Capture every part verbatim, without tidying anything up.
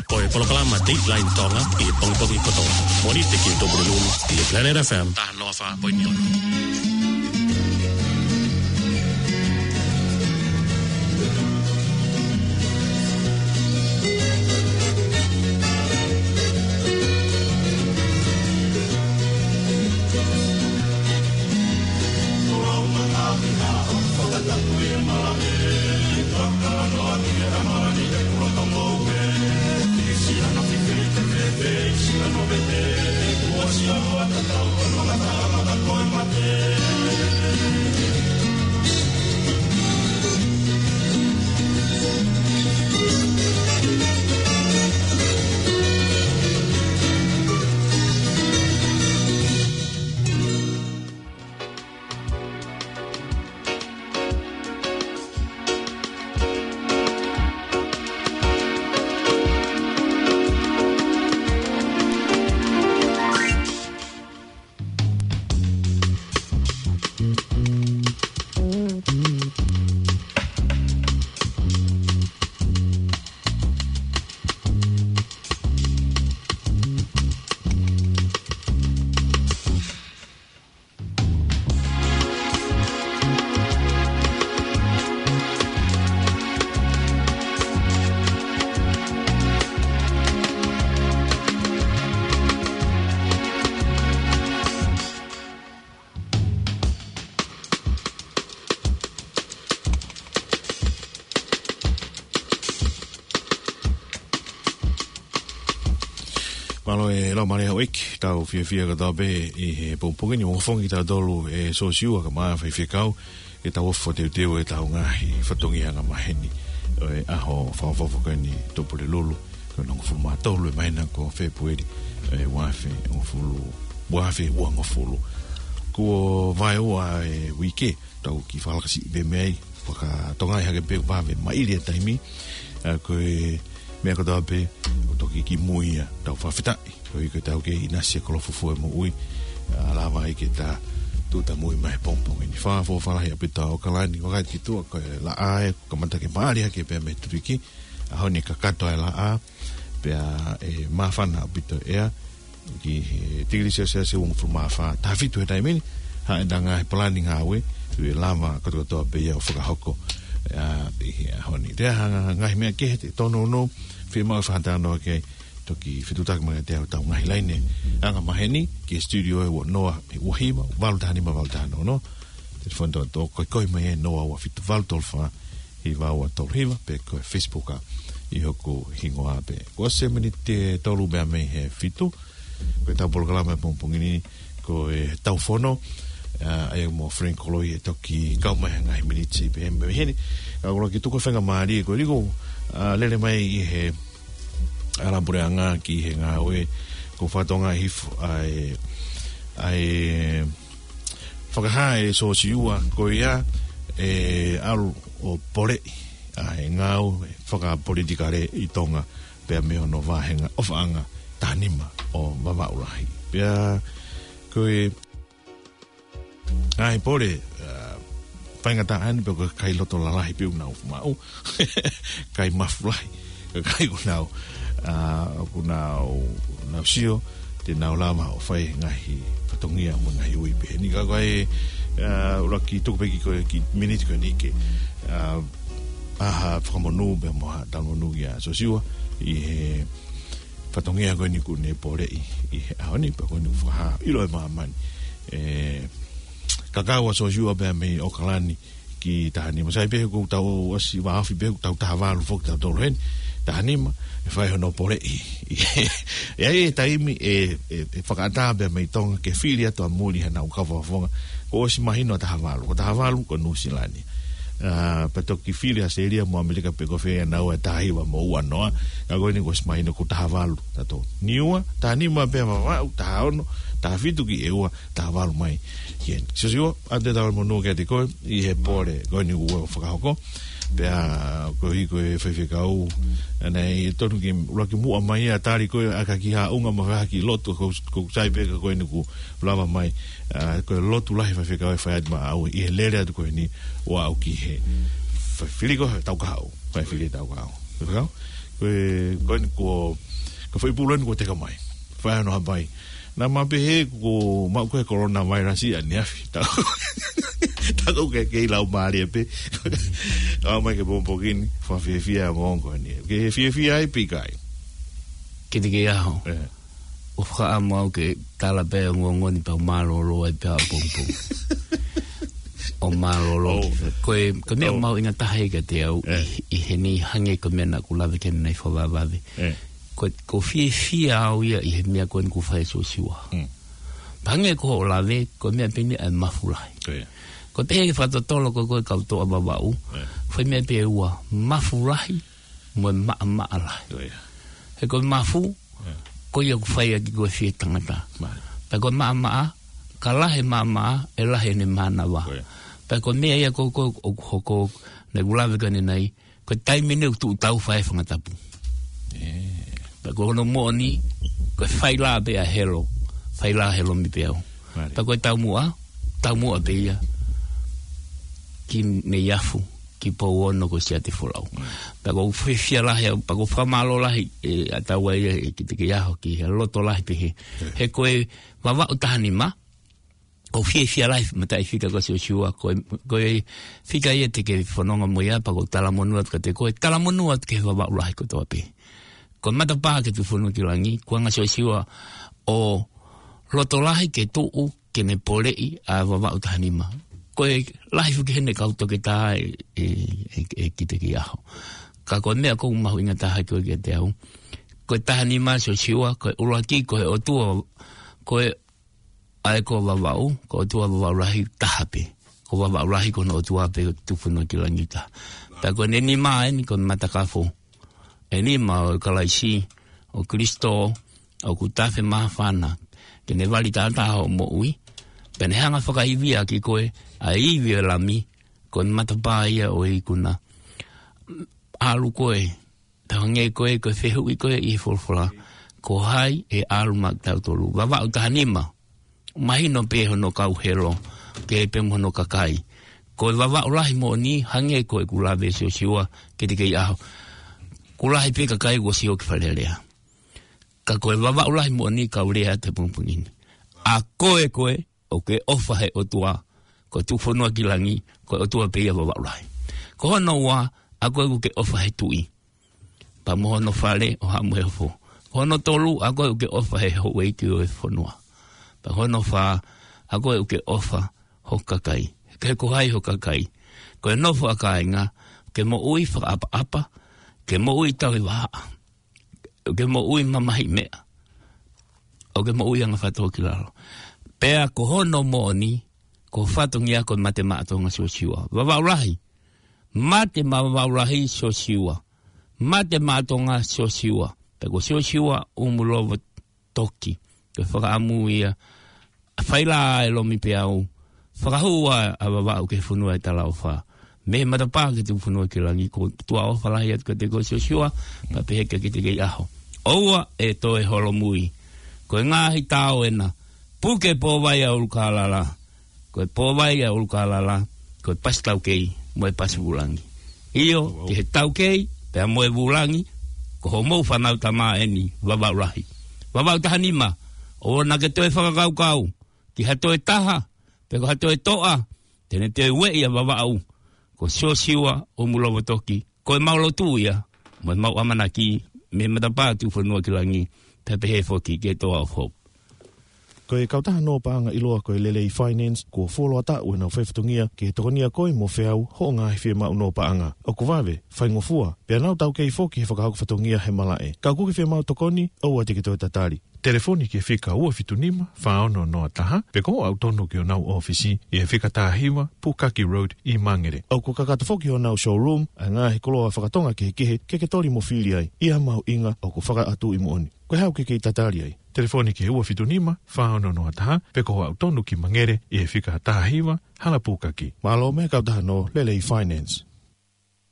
Ko e polokalama Dateline Tonga ʻi he pongipongi kotoa. Moʻoni atu ki he Tupulelulu ʻi he Planet F M taha noa fā poini ono. Mālō e lau mālie houʻeiki, tau fiefia kotoa pē ʻi he pongipongi ni ʻo fafangu kitautolu ʻe Siosiua Kamaafa Faifekau, ke tau ofi teuteu ʻetau ngaahi fatongia angamaheni ʻo e ʻaho fakaʻofoʻofa ko eni Tupulelulu, ko e hongofulu mā tolu ʻo e māhina ko Fēpueli, ʻe ua afe hongofulu, ua afe uangofulu. Kuo vaeua e uike, tau kiʻi fakalakasiʻi pē mei ai, fakatonga hake pē vave maʻili e taimi, ʻa, ko e meʻa kotoa pē, ʻoku toki kimui ia, tau fakafetaʻi, koeʻuhi ko e tau kei ʻinasi e koloa fufū e moʻui, ʻa, lava ai ke ta tūtamui mai pongipongi ni. Fakaʻofoʻofa lahi ʻaupito ʻa ʻAokalani, ʻo kai ki tuʻa ko e laʻā ē, kamata ke maʻali hake pē mei he tuliki, ʻaho ni kakato e laʻā, pea ʻe māfana ʻaupito e ʻea, ki he tikilī selesiasi uangofulu mā fā, taha fitu he taimi ni, haʻu ʻetau ngaahi palani ngāue, ʻe lava kotokotoa pē ia ʻo fakahoko, ʻa, ʻi he ʻaho ni. Te aha ngaahi meʻa kehe te tōnounou, fiemaʻu e fakatalanoa ke toki fetuʻutaki mai kiate au ʻetau ngaahi laine angamaheni, ki he studio ʻe ua noa, ua hiva, valu taha nima, valu taha noa noa, telefoni toko tolu, ko e kole mai ʻe noa ua fitu, valu tolu fā, hiva ua tolu hiva, pe ko e Facebook ʻa, ʻi hoku hingoa pē. Kuo ʻosi e miniti ʻe tolu pē mei he fitu, ko ʻetau polokalama he pongipongi ni, ko e Tau Fono, ʻa, ʻa ia mo Frank Koloi ʻe toki kau mai he ngaahi miniti pē mei heni. Ka ʻoku ou kole ke tuku e faingamālie ko eni ko, ʻa, lele mai ʻi he ʻalu puleʻanga ki he ngāue, ko e fakatonga hifo ʻa e, ʻa e fakahā ʻe Siosiua ko ia ʻe ʻalu ʻo poleʻi ʻa e ngāue fakapolitikale ʻi Tonga pea mei hono vāhenga ʻofaʻanga taha nima ʻo Vavaʻu Lahi. Pea ko e ngaahi pole, ʻa, faingataʻa eni pē ko e kakai loto lalahi pē ʻoku nau maʻu, kakai mafu lahi, kakai ʻoku nau, ʻa, ʻoku nau, nau sio te nau lava ʻo fai e ngaahi fatongia mo e ngaahi ui pehē ni. Ka ko e, ʻa, ʻuluaki tuku pē kiʻi ko e kiʻi miniti ko eni ke, ʻa, ʻa ha fakamonū pea mo ha talamonū kia Siosiua ʻi he fatongia ko eni kuo ne poleʻi ʻi he ʻaho ni, pea ko eni fakahā ʻilo ʻe māmani e kakau ʻa Siosiua pea mei ʻAokalani ki taha nima. Sai pē ʻoku tau ʻosi vāofi pē ʻoku tau taha valu foki tautolu heni, taha nima, ʻe fai hono poleʻi. ʻE ʻi ai e taimi ʻe, ʻe, ʻe fakaʻatā pea mei Tonga ke fili atu ʻa muli hanau kau fakafofonga, kuo ʻosi mahino ʻa taha valu, ko taha valu ko Nuʻusila ni. ʻA, pea toki fili ʻa ʻAositelēlia mo ʻAmelika pe ko fē ʻa naua ʻe taha hiva mo ua noa, ka ko eni kuo ʻosi mahino ko taha valu tautolu. Niua, taha nima pē Vavaʻu, taha ono, taha fitu ki ʻEua, taha valu mai ki heni. Siosiua, ʻoatu e talamonū kiate koe ʻi he pole ko eni kuo fakahoko. Pea koeʻuhi ko e faifekau, ʻa, naʻe tonu ke ʻuluaki muʻa mai ʻo tali koe ʻaki ha kiʻi haʻunga mo ha kiʻi lotu, ko, ko sai pē ka ko eni kuo lava mai, ʻa, ko e lotu lahi faifekau ʻe fai atu maʻau ʻi he lele atu ko eni ʻo aʻu ki he fai fili ko e tau kahaʻu, fai fili tau kahaʻu. Faifekau? Ko e, ko eni kuo, ko e foʻi pulu eni kuo teka mai. Fai hono hapai. Naʻa ma pehē kuo maʻu ko e coronavirus ia ni afi. Ta, ta ko ke, ke lau mālie pē. Aʻu mai ki he pongipongi ni, fakafiefia e ongoongo ko eni. Ke fiefia ai pe ʻikai? Kiate au. ʻE. ʻOku fakaʻamu au ke tala pē ongoongo ni pea u mālōlō ai pē ʻapongipongi. ʻO mālōlō. ʻOu. Ko e, ko e meʻa ʻoku mahuʻinga taha ia kiate au, ʻe, ʻi, ʻi heni hangē ko e meʻa naʻa ku lave ki ai ʻanenai fakavavevave. ʻE. Ko, ʻoku ou fiefia au ia ʻi he meʻa ko eni kuo fai ʻe Siosiua. Mm. Pea hangē ko hoʻo lave, ko e meʻa pē eni ʻa e mafu lahi. Ko ia. Ko e pehē ke fakatotolo ko e, ko e kau toʻa Vavaʻu. ʻE. Fai meʻa pē ʻe ua, mafu lahi, mo e maʻamaʻa lahi. Ko ia. He ko e mafu, ʻe, ko ia ʻoku fai ʻaki ko e fie tangata. Mālie. Pea ko e maʻamaʻa, ka lahi e maʻamaʻa, ʻe lahi ʻene mānava. Ko ia. Pea ko e meʻa ia ko, ko, ʻoku hoko, naʻa ku lave ki ai ʻanenai, ko e taimi eni ʻoku tuʻu tau fai e fanga tapu. ʻE. Pea ko hono moʻoni, ko e failā pē ʻa Helo, failā Helomipeau. Mālie. Pea ko e taumuʻa, taumuʻa pē ia ki Neiafu, ki Pouono ko Siatefolau. Mm. Pea ʻoku ou fiefia lahi au, pea ʻoku ou fakamālō lahi, ʻe, ʻa taua ia ʻe Kitekeiaho ki he loto lahi pehē. ʻE. He ko e Vavaʻu taha nima, ʻoku ou fiefia lahi mataʻi fika ko Siosiua, ko e, ko e fika ia te ke fononga mo ia, pea ʻoku ou talamonū atu kiate koe, talamonū atu ki he Vavaʻu lahi kotoa pē. Ko e matapā ke tuʻu fonua ki langi, kuo hanga ʻe Siosiua ʻo loto lahi ke tuʻu ke ne poleʻi ʻa Vavaʻu taha nima. Ko e lahi foki heni e kau toketā ʻe, ʻe, ʻe, ʻe Kitekeiaho. Ka ko e meʻa ʻoku mahuʻinga taha ko ē kiate au. Ko e taha nima Siosiua, ko e ʻuluaki, ko e ʻOtua, ko e ʻa e ko Vavaʻu, ko e ʻOtua Vavaʻu lahi taha pē. Ko Vavaʻu lahi ko hono ʻOtua pē tuʻu fonua ki langi taha. Pea ko ʻene nima eni ko e matakafo. ʻE nima ʻo Kalaisi, ʻo Kilisitō, ʻoku tafe māfana. Ke ne vali taʻataʻa hoʻo moʻui. Pea ne hanga fakaivia ki koe, ʻa e ivi ʻo e Lami, ko e matapā ia ʻo e ikuna. ʻAlu koe, tau hangē ko e, ko e fehuʻi ko ē ʻi he folofola. Ko hai ʻe ʻalu maʻa kitautolu? Vavaʻu taha nima. Mahino pē hono kau Helo, pehē pē mo hono kakai. Ko e Vavaʻu lahi moʻoni, hangē ko ʻeku lave Siosiua, Kitekeiaho. Kuo lahi pē kakai kuo sio ki Fale Alea. Ka ko e Vavaʻu lahi moʻoni kau lea atu he pongipongi ni. ʻA koe koe, ʻoku ke ʻofa he ʻOtua, ko e tuʻu fonua ki langi, ko e ʻOtua pē ia Vavaʻu lahi. Ko hono ua, ʻa koe ʻoku ke ʻofa he Tuʻi. Pea mo hono fale ʻo Haʻa Moheofo. Ko hono tolu, ʻa koe ʻoku ke ʻofa he houʻeiki ʻo e fonua. Pea hono fā, ʻa koe ʻoku ke ʻofa ho kakai. Ke ko hai ho kakai. Ko e nofo ʻa kāinga, ke moʻui fakaʻapaʻapa, ke moʻui tauhi vahaʻa. ʻOku ke moʻui mamahi meʻa. ʻOku ke moʻui anga fatongia ki lalo. Pea ko hono moʻoni, ko e fatongia ko e mate maʻa Tonga Siosiua. Vavaʻu lahi. Mate maʻa Vavaʻu lahi Siosiua. Mate maʻa Tonga Siosiua. Pea ko Siosiua ʻUmulovo Toki. Ko e fakaʻamu ia. Failā ʻa Helomipeau. Fakahū ʻa Vavaʻu ki he fonua ʻo e talaʻofa. Mei he matapā ke tuʻu fonua ki langi, ʻoku ou tuʻa ʻofa lahi atu kiate koe Siosiua, pea pehē kia Kitekeiaho. ʻOua ʻe toe holomui. Ko e ngaahi tao ena, puke pōvai ʻa ʻUlukālala. Ko e pōvai ʻa ʻUlukālala, ko e pasi taukei, mo e pasi vūlangi. ʻIo, ki he taukei, pea mo e vūlangi, ko hoʻomou fānau tama eni, Vavaʻu lahi. Vavaʻu taha nima, ʻoua naʻá ke toe fakakaukau, ki ha toe taha, pe ko ha toe toʻa, te ne toe ueʻi ʻa Vavaʻu, ko Siosiua ʻUmulovo Toki, ko ʻemau lotu ia, mo ʻemau ʻamanaki, mei he matapā tuʻu fonua ki langi, pea pehē foki ki he Toa of Hope. Ko e kautaha nō paʻanga ʻiloa ko e Lelei Finance, kuo fuoloa taʻu ʻenau faifatongia, ke tokonia koe mo Feau, hoʻo ngaahi fiemaʻu nō paʻanga. ʻOku vave, faingofua, pea nau taukei foki he fakahoko fatongia he malaʻe. Ka ʻoku ke fiemaʻu tokoni, ʻoua te ke toe tatali. Telefoni ki he fika ua fitu nima, fā ono noa taha, pe ko hoʻo aʻu tonu ki honau ʻōfisi, ʻi he fika taha hiva, Pukaki Road, ʻi Mangere. ʻOku kakato foki honau showroom, ʻa e ngaahi koloa faka-Tonga kehekehe, ke ke toli mo fili ai, ʻi ha mahuʻinga ʻoku fakaʻatuʻi moʻoni. Ko e hā ʻoku ke kei tatali ai? Telefoni ki he ua fitu nima, fā ono noa taha, pe ko hoʻo aʻu tonu ki Mangere, ʻi he fika taha hiva, Hala Pukaki. Mālō mei he kautaha nō Lelei Finance.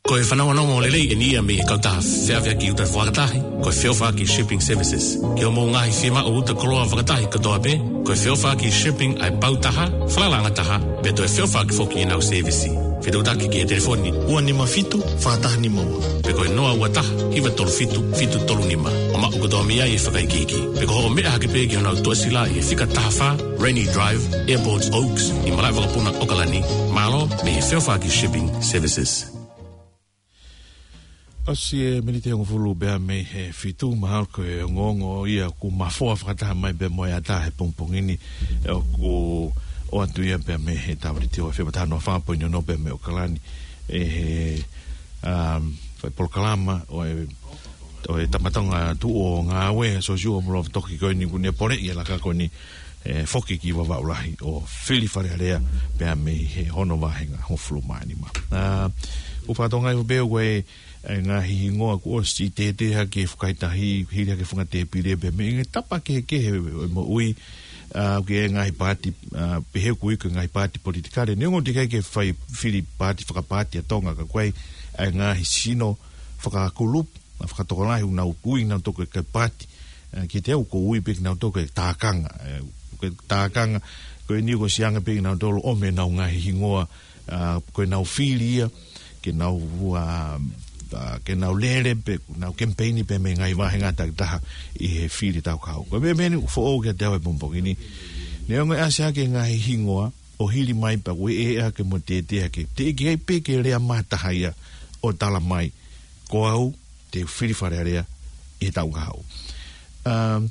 Ko e fanongonongo lelei eni ia mei he kautaha feʻaveʻaki uta fakatahi, ko e Feʻofaʻaki Shipping Services. Ki hoʻomou ngaahi fiemaʻu uta koloa fakatahi kotoa pē, ko e Feʻofaʻaki Shipping ʻa e pau taha, falalaʻanga taha, pea toe feʻofaʻaki foki ʻenau sēvisi. Fetuʻutaki ki he telefoni ua nima fitu, fā taha nima ua. Pe ko e noa ua taha, hiva tolu fitu, fitu tolu nima. ʻO maʻu kotoa mei ai e fakaikiiki. Pe ko hoʻo meʻa hake pē ki honau tuʻasila ʻi he fika taha fā, Rainy Drive, Airport Oaks, ʻi Malaʻevakapuna, ʻAokalani. Mālō, mei he Feofaki Shipping Services. ʻOsi e miniti hongofulu pea mei he fitu, mahalo ko e ongoongo ia ʻoku mafoa fakataha mai pea mo e ʻatā he pongipongi ni, ʻoku ʻoatu ia pea mei he Tauliti ʻo e F M taha noa fā poini ono pea mei ʻAokalani. ʻE he, um, fai polokalama ʻo e, ʻo e Tama Tonga Tuʻu ʻo Ngāue, Siosiua Moulofatoki ko eni ʻoku ne poleʻi e laka ko eni, ʻe foki ki Vavaʻu Lahi ʻo fili Fale Alea pea mei he ono vahenga hongofulu mā nima. ʻA, ʻoku fakatokangaʻi pē ʻoku ʻi ai e ngaahi hingoa kuo ʻosi tētē hake he fukahi tahi, hili hake he funga tēpile pea mei he ngaahi tapa kehekehe ʻo e moʻui, ʻa, ʻoku ʻi ai e ngaahi paati, ʻa, pehē ʻoku ui ko e ngaahi paati politikale. Neongo ʻoku teʻeki ai ke fai fili paati fakapaati ʻa Tonga ka ʻoku ʻi ai e ngaahi sino fakakulupu, ʻa, fakatokolahi ʻoku nau ui kinautolu ko e paati, ʻa, kiate au ʻoku ou ui pē kinautolu ko e tākanga, ʻa, ko e tākanga, ko eni kuo ʻosi anga pē kinautolu ʻo ʻomai ʻenau ngaahi hingoa, ʻa, ko ʻenau fili ia, ke nau, ʻa, ʻa, ke nau lele pē, ke nau kemipeini pē mei he ngaahi vahenga takitaha ʻi he fili taukahaʻu. Ko e meʻa eni ʻoku foʻou kiate au he pongipongi ni. Neongo e ʻasi hake e ngaahi hingoa, ʻo hili mai pea ʻoku ʻeʻe hake mo tētē hake. Teʻeki ai pē ke lea mai ha taha ia ʻo tala mai, ko au te u fili Fale Alea ʻi he taʻu kahaʻu. Um,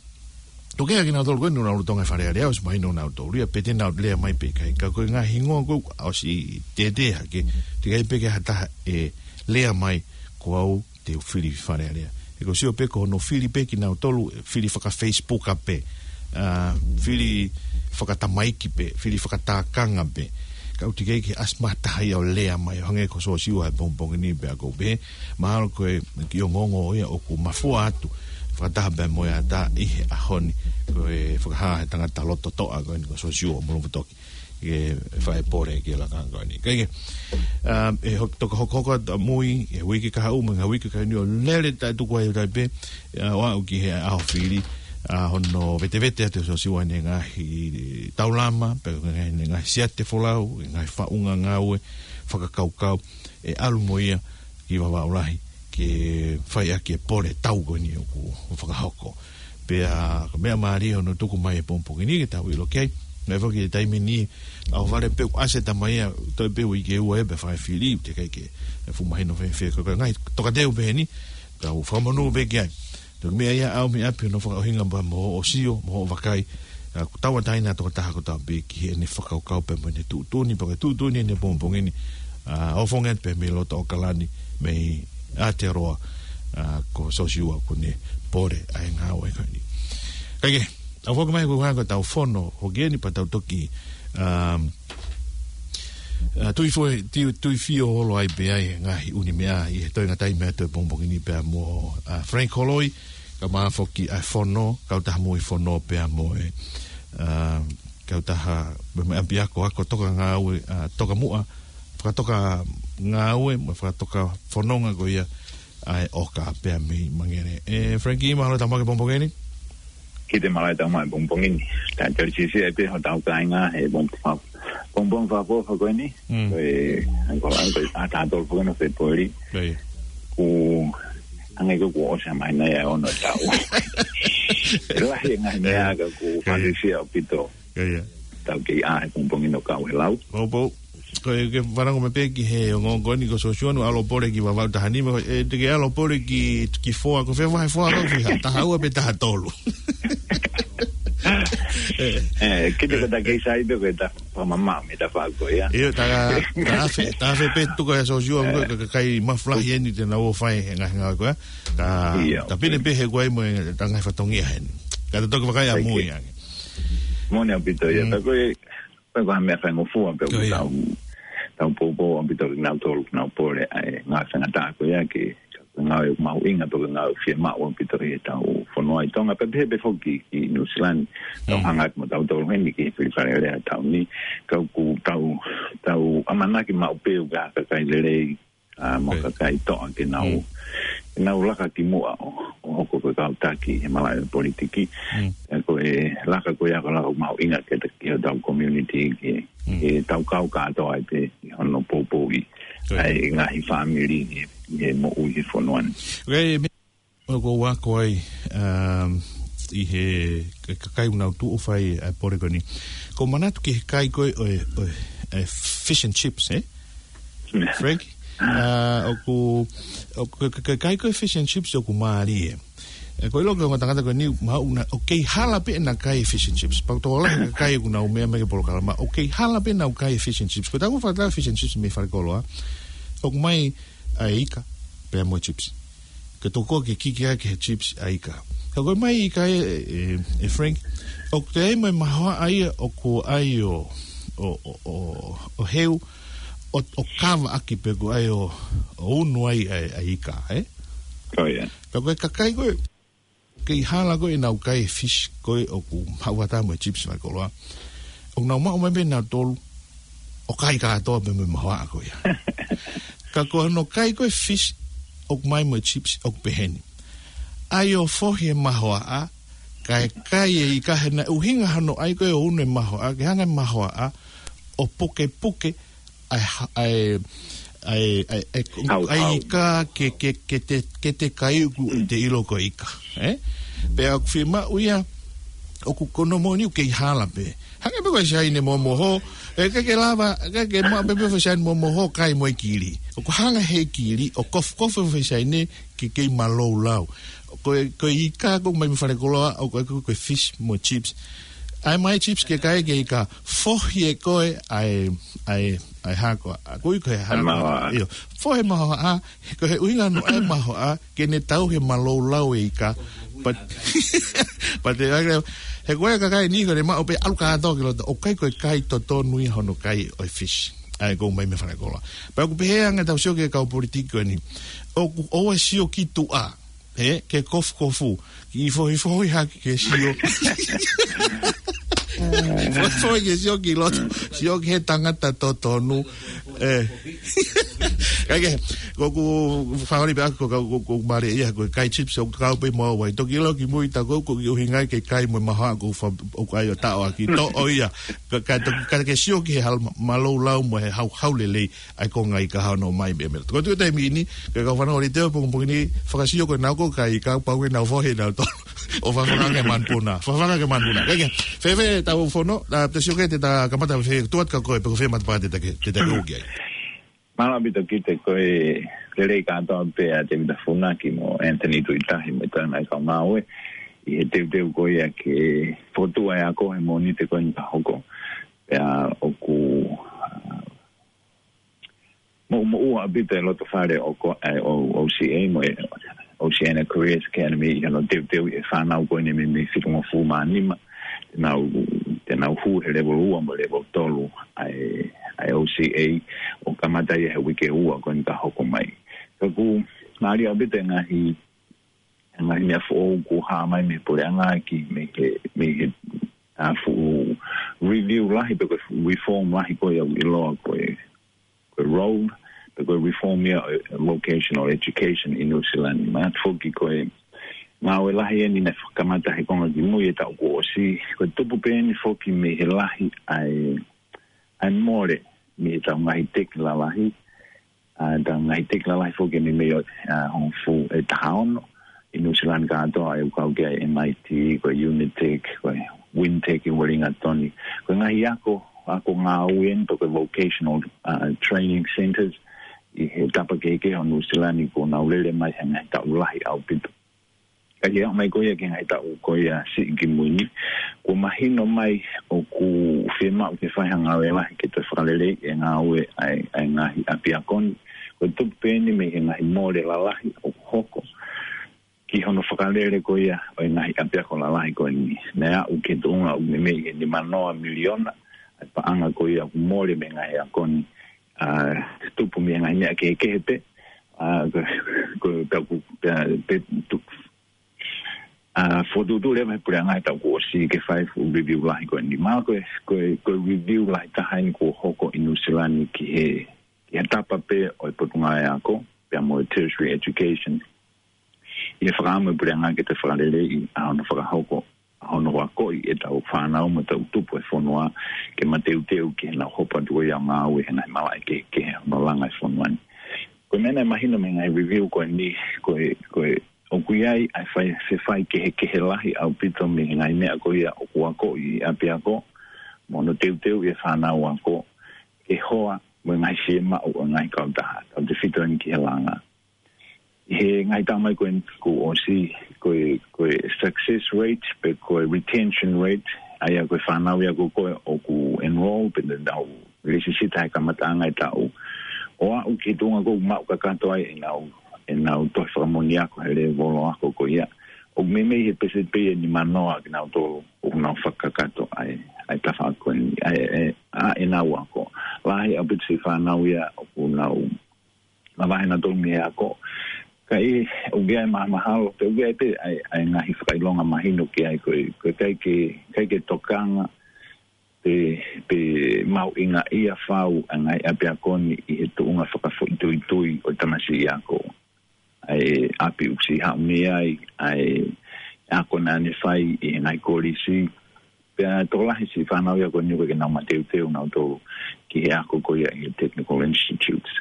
ʻoku ʻi ai kinautolu ko eni ʻoku nau lolotonga ʻi Fale Alea, ʻosi mahino ʻoku nau tōlia, pe te nau lea mai pe ʻikai. Ka ko e ngaahi hingoa ko ē ʻosi tētē hake, teʻeki ai pē ke ha taha ʻe lea mai, ko au te u fili Fale Alea. He ʻoku ou sio pē ko hono fili pē kinautolu, fili faka-Facebook pē, ʻa, fili fakatamaiki pē, fili fakatākanga pē. Ka ʻoku teʻeki ai ke ʻasi mai ha taha ia ʻo lea mai, ʻo hangē ko Siosiua he pongipongi ni pea ʻoku ou pehē, mahalo ko e kiʻi ongoongo ia ʻoku mafoa atu fakataha pea mo e ʻatā ʻi he ʻaho ni, ko e fakahā he tangata loto toʻa ko eni ko Siosiua Moulofatoki, ke fai e pole ki he laka ko eni. Kae kehe, um, ʻe hok-, toki hokohoko atu ʻamui he uike kahaʻu mo e ngaahi uike kahaʻu ni ʻo lele taʻetuku ai ʻo taʻe pē, ʻa, ʻo aʻu ki he ʻaho fili, ʻa, hono vetevete atu ʻe Siosiua ʻene ngaahi taulama, pea mo ʻene ngaahi siate folau, ʻene ngaahi faʻunga ngāue fakakaukau, ʻe ʻalu mo ia ki Vavaʻu Lahi ke fai ʻaki e pole tau ko eni ʻoku fakahoko. Pea ko e meʻa mālie hono tuku mai he pongipongi ni ke tau ʻilo ki ai. Naʻe foki e taimi ni, ʻohovale pē ʻoku ʻasi e tama ia, toe pē uike ʻe ua ia pea fai e fili, teʻeki ai ke fuʻu mahino fēfē. Ko e ngaahi tokateu pē eni, tau fakamonū pē ki ai. Toki meʻa ia ʻa e meʻa pē hono fakaʻuhinga pea mo hoʻo sio, mo hoʻo vakai, ʻa, ʻoku tauʻatāina ʻa e tokotaha kotoa pē ki heʻene fakakaukau pea mo ʻene tuʻutuʻuni, pea ko e tuʻutuʻuni ʻeni he pongipongi ni, ʻa, ʻo fonge pē mei loto ʻAokalani, mei Aotearoa, ʻa, ko Siosiua kuo ne pole ʻa e ngāue ko eni. Kae kehe, ʻa, foki mai ko e hanga ʻetau fono, hoki eni pea tau toki, um, ʻa, tui fo-, tui, tui fio holo ai pē ʻa e ngaahi ʻū meʻa ʻi he toenga taimi atu he pongipongi ni pea mo, ʻa, Frank Holoi, kae ʻumaʻā foki ʻa e fono, kautaha moʻui fono pea mo e, ʻa, kautaha, mo e ʻapiako ako toka ngāue, ʻa, toka muʻa, fakatoka ngāue, mo e fakatoka fononga ko ia ʻa e ʻOka pea mei Mangere. ʻE, Frankie, mahalo ʻetau maʻu e pongipongi ni? Kiʻi mālō ʻetau maʻu e pongipongi ni. Talitali siʻisiʻi ai pē hotau kāinga he pongipongi fa-, pongipongi fakaʻofoʻofa ko eni. Mm. Ko e, ʻa, ko e, ʻa, taha tolu foki ʻo Fēpueli. ʻIo. Kuo hangē ko ē kuo ʻosi e māhina ia ʻe ono ʻo e taʻu. Lahi e ngaahi meʻa ka ʻoku, ʻio, fānisia ʻaupito. ʻIo, ʻio. Tau kei ʻā he pongipongi ni ʻo kau he lau. Pau, pau. Ko e ke fanongo mai pē ki he ongoongo ni ko Siosiua naʻe ʻalu ʻo pole ki Vavaʻu taha nima, ʻe, te ke ʻalu ʻo pole ki, ki Foa, ko e fē vahe Foa ko ē, ki ha taha ua pe taha tolu. ʻE, kiʻi ko e ta kei sai pē ko e ta fakamamaʻo mei he tafaʻaki ko ia. ʻIo, ta, ta afe, ta afe pē tuku ʻa Siosiua, ʻe, ko e ka-, kakai mafu lahi eni te nau ō ʻo fai e ngaahi ngāue ko ia. Ta, ʻio, ta pine pē he kuo ʻi ai mo e ta ngaahi fatongia heni. Ka ta toki vakai ʻamui ange. Moʻoni ʻaupito ia, mm, ta ko e, ko e ko ha meʻa faingofua pē ʻoku, ʻio, ʻio, tau, tau poupou ʻaupito kinautolu, kinautolu pole ʻa e ngaahi faingataʻa ko ia ke, ke ngāue mahuʻinga pē ko e ngāue fiemaʻu ʻaupito ʻi heʻetau fonua ʻi Tonga, pea pehē pē foki ki Nuʻu Sila ni, tau, mm, hanga atu mo tautolu heni ki he fili Fale Alea he taʻu ni, ka ʻoku tau, tau ʻamanaki maʻu pē ʻoku ʻi ai ha kakai lelei, ʻa, mo e, ʻio, kakai toʻa ke nau, mm, ke nau laka ki muʻa ʻo, ʻo hoko ko e kau taki he malaʻe politiki. Mm. ʻE, ko e laka ko ia ko e laka mahuʻinga ke ta, ki hotau community, ke, mm, ke tau kau kātoa ai pē ʻi hono poupouʻi ʻa e ngaahi fāmili ʻi he, ʻi he moʻui he fonua ni. ʻOku ou ako ai, um, ʻi he, ka-, kakai ʻoku nau tuʻu ʻo fai ʻa e pole ko eni. ʻOku ou manatu ki he kai ko ē ʻo e, ʻo e, ʻa e fish and chips, ē? Frank? ʻA, ʻoku, ʻoku, ka-, ka-, kai ko ē fish and chips ʻoku mālie. ʻE, ʻoku ou ʻilo ko e ongo tangata ko eni, mahalo ʻoku nau, ʻoku kei hala pē ʻenau kai fish and chips. Pea ʻoku tokolahi e kakai ʻoku nau meʻa mai ki he polokalama, ʻoku kei hala pē ʻenau kai fish and chips. Ko ʻetau fakatātā fish and chips mei falekoloa, ʻoku ʻomai ʻa e ika, pea mo e chips. Ke tokua ke kiki ʻaki he chips ʻa e ika. Ka ko e ʻomai ika ē, ʻe, ʻe Frank, ʻoku toe ʻi ai mo e mahoaʻa ia ʻoku ʻai ʻo, ʻo, ʻo, ʻo, ʻo heu, ʻo, ʻo kava ʻaki pe ʻoku ʻai ʻo, ʻo unu ai ʻa e, ʻa e ika, ē? Ko ia. Ka ko e kakai ko ē, kei hala ko ē ʻenau kai fish ko ē ʻoku maʻu atu mo e chips falekoloa. ʻOku nau maʻu mai pē nautolu, ʻo kai kātoa pē mo e mahoaʻa ko ia. Ka ko hono kai ko ē fish, ʻoku ʻomai mo e chips, ʻoku pehē ni. ʻAi ʻo fohi e mahoaʻa, kae kai e ika he naʻe ʻuhinga hono ʻai ko ē ʻo unu e mahoaʻa, ke hanga e mahoaʻa, ʻo pukepuke, ʻa e ha-, ʻa e, ʻa e, ʻa e, ʻa e, Hau, ʻa e hau. ika ke, ke, ke te, ke te kai ʻoku te ʻilo ko e ika, ē? Pea ʻoku fiemaʻu ia, ʻoku ko hono moʻoni ʻoku kei hala pē. Hangē pē ko e Siaine momoho, ʻe ʻikai ke lava, ʻikai ke maʻu pē pē ʻe he Siaine momoho kai mo e kili. ʻOku hanga he kili, ʻo kofukofu ʻe he Siaine ke kei malou lau. Ko e, ko e ika ʻoku ʻomai mei falekoloa, ʻoku, ʻoku, ko e fish mo e chips. ʻAi mai chips ke kai ke ika, fohi ʻe koe ʻa e, ʻa e, ʻa e hako, ʻa, ko e ika he hako. Mahoaʻa. ʻIo, fohi e mahoaʻa, ko e ʻuhinga hono ʻai e mahoaʻa, ke ne tauhi e malou lau e ika. But, but, he ko e kakai ni ko ʻene maʻu pē ʻalu kātoa ki loto, ʻoku ʻikai ko e kai totonu ia hono kai ʻo e fish. ʻA ia ʻoku ʻomai mei falekoloa. Pea ʻoku pehē ange ʻetau sio ki he kau politiki ko eni. ʻOku ʻoua ʻe sio ki tuʻa. Ē, ke kofukofu, ke fohifohi hake ke sio. Fohifohi ke sio ki loto, sio ki he tangata totonu. Ē. Kae kehe, ʻoku ou fakaoli pē ʻaku ko, ko, ko, ko mālie ia, ko e kai chips ʻoku kau pē mo au ai. Toki ʻilo kimui ta ko, ʻoku ʻuhinga ia ke kai mo e mahoaʻa ʻoku fa-, ʻoku ʻai ʻo taʻoʻaki. Toʻo ia. Ka, ka, ka ke sio ki he hal-, malou lau mo e hauhau lelei. ʻA e konga ika hono ʻomai mei mera. Ko e tuʻu taimi ni, ke kau fanau ʻi he pongipongi ni, fakasio ko ʻenau ko e kai ika pau ke nau fohe nautolu. ʻO fafanga ke manupuna. Fafanga ke manupuna. Kae kehe, fēfē ʻetau fono, ʻa, te sio ki ai te ta kamata fē, tuat ka ko e, pe ko fē matapā te ta ke, te ta ke ʻuki ai. Mālō ʻaupito kiate koe, lelei kātoa pē ʻa Tēvita Funaki mo Anthony Tuʻitahi mo e toenga ʻa e kau ngāue. ʻI he teuteu ko ia ke fokotuʻu ʻa e ako he Mōnite ko eni ka hoko. Pea ʻoku, ʻa, moʻumoʻua ʻaupito e loto fale ʻo ko-, ʻa e ʻo, O C A mo e Oceania Careers Academy ʻi hono teuteu ʻi he fānau ko eni mei, mei he fitungofulu mā nima. Te nau, te nau hū he level ua mo e level tolu ʻa e, ʻa e O C A ʻo kamata ia he uike ua ko eni ka hoko mai. Ka ʻoku mālie ʻaupito e ngaahi, e ngaahi meʻa foʻou kuo hā mai mei he puleʻanga ki, mei he, mei he, ʻa, fuʻu review lahi pe ko e fuʻu reform lahi ko ia ʻoku ʻiloa ko e ko e ROLE, pe ko e reform ia ʻo e vocational education ʻi New Zealand. Manatu foki ko e ngāue lahi eni naʻe fakakamata he konga kimui e taʻu kuo ʻosi, ko e tupu pē eni foki mei he lahi ʻa e, ʻa e mole mei he tau ngaahi teki lalahi, ʻa, tau ngaahi teki lalahi foki eni mei, ʻa, hongofulu ʻe taha ono ʻi New Zealand kātoa ʻoku kau ki ai M I T, ko e Unitec, ko e Wintec ʻi Wellington. Ko e ngaahi ako, ako ngāue eni pe ko e vocational, ʻa, training centres ʻi he tapa kehekehe ʻo New Zealand kuo nau lele mai he ngaahi taʻu lahi ʻaupito. Ka ʻi he aʻu mai ko ia ki he ngaahi taʻu ko ia siʻi kimui ni, kuo mahino mai ʻoku fiemaʻu ke fai ha ngāue lahi ke toe fakaleleiʻi e ngāue ʻa e, ʻa e ngaahi ʻapiako ni. Ko e tupu pē eni mei he ngaahi mole lalahi ʻoku hoko ki hono fakalele ko ia ʻo e ngaahi ʻapiako lalahi ko eni. Naʻe aʻu ki he tuʻunga ʻoku meimei ʻi he nima noa miliona ʻa e paʻanga ko ia ʻoku mole mei he ngaahi ako ni, ʻa, tupu mei he ngaahi meʻa kehekehe pē, ʻa, ko, ko, ka ku, ka, pe, tu, ʻa, fokotuʻutuʻu leva he puleʻanga he taʻu kuo ʻosi ke fai e fuʻu review lahi ko eni. Mahalo ko e, ko e, ko e review lahi taha eni kuo hoko ʻi New Zealand ki he, ki he tapa pē ʻo e potungāue ako, pea mo e tertiary education. ʻI he fakaʻamu e puleʻanga ke toe fakaleleiʻi ʻa hono fakahoko hono akoʻi ʻetau fānau mo ʻetau tupu e fonua ke mateuteu ki heʻenau hopo atu ia ʻo ngāue he ngaahi malaʻe kehekehe hono langa e fonua ni. Ko e meʻa naʻe mahino mei he ngaahi review ko eni, ko e, ko e, ʻoku ʻi ai ʻa e fai, fefai kehekehe lahi ʻaupito mei he ngaahi meʻa ko ia ʻoku akoʻi ʻi ʻapiako, mo hono teuteuʻi e fānau ako, ke hoa mo e ngaahi fiemaʻu ʻo e ngaahi kautaha, tautefito eni ki he langa. ʻI he ngaahi taʻu mai ko eni kuo ʻosi, ko e, ko e success rate, pe ko e retention rate, ʻa ia ko e fānau ia ko ē ʻoku enroll, pe te nau lisisita he kamataʻanga e taʻu, ʻo aʻu ki he tuʻunga ko ē ʻoku maʻu kakato ai ʻenau, ʻenau tohi fakamoʻoni ako he lēvolo ako ko ia, ʻoku meimei he pēseti pē ia ʻe nimanoa kinautolu ʻoku nau fakakakato ai, ʻa e tafaʻaki ko eni, ʻa e, ʻa e, ʻa ʻenau ako. Lahi ʻaupito siʻi fānau ia ʻoku nau mavahe nautolu mei he ako. Ka ʻi, ʻoku ʻi ai e mahamahalo, pe ʻoku ʻi ai pē ʻa e, ʻa e ngaahi fakaʻilonga mahino ki ai ko e, ko e ʻikai ke, ʻikai ke tokanga pe, pe mahuʻingaʻia fau ʻa e ngaahi ʻapiako ni ʻi he tuʻunga fakafoʻituitui ʻo e tamasiʻi ako. ʻA e ʻapi ʻoku siʻi haʻu mei ai, ʻa e ako naʻa ne fai ʻi he ngaahi kolisi. Pea tokolahi siʻi fānau ia ko eni ʻoku ʻikai ke nau mateuteu nautolu ki he ako ko ia ʻi he technical institutes.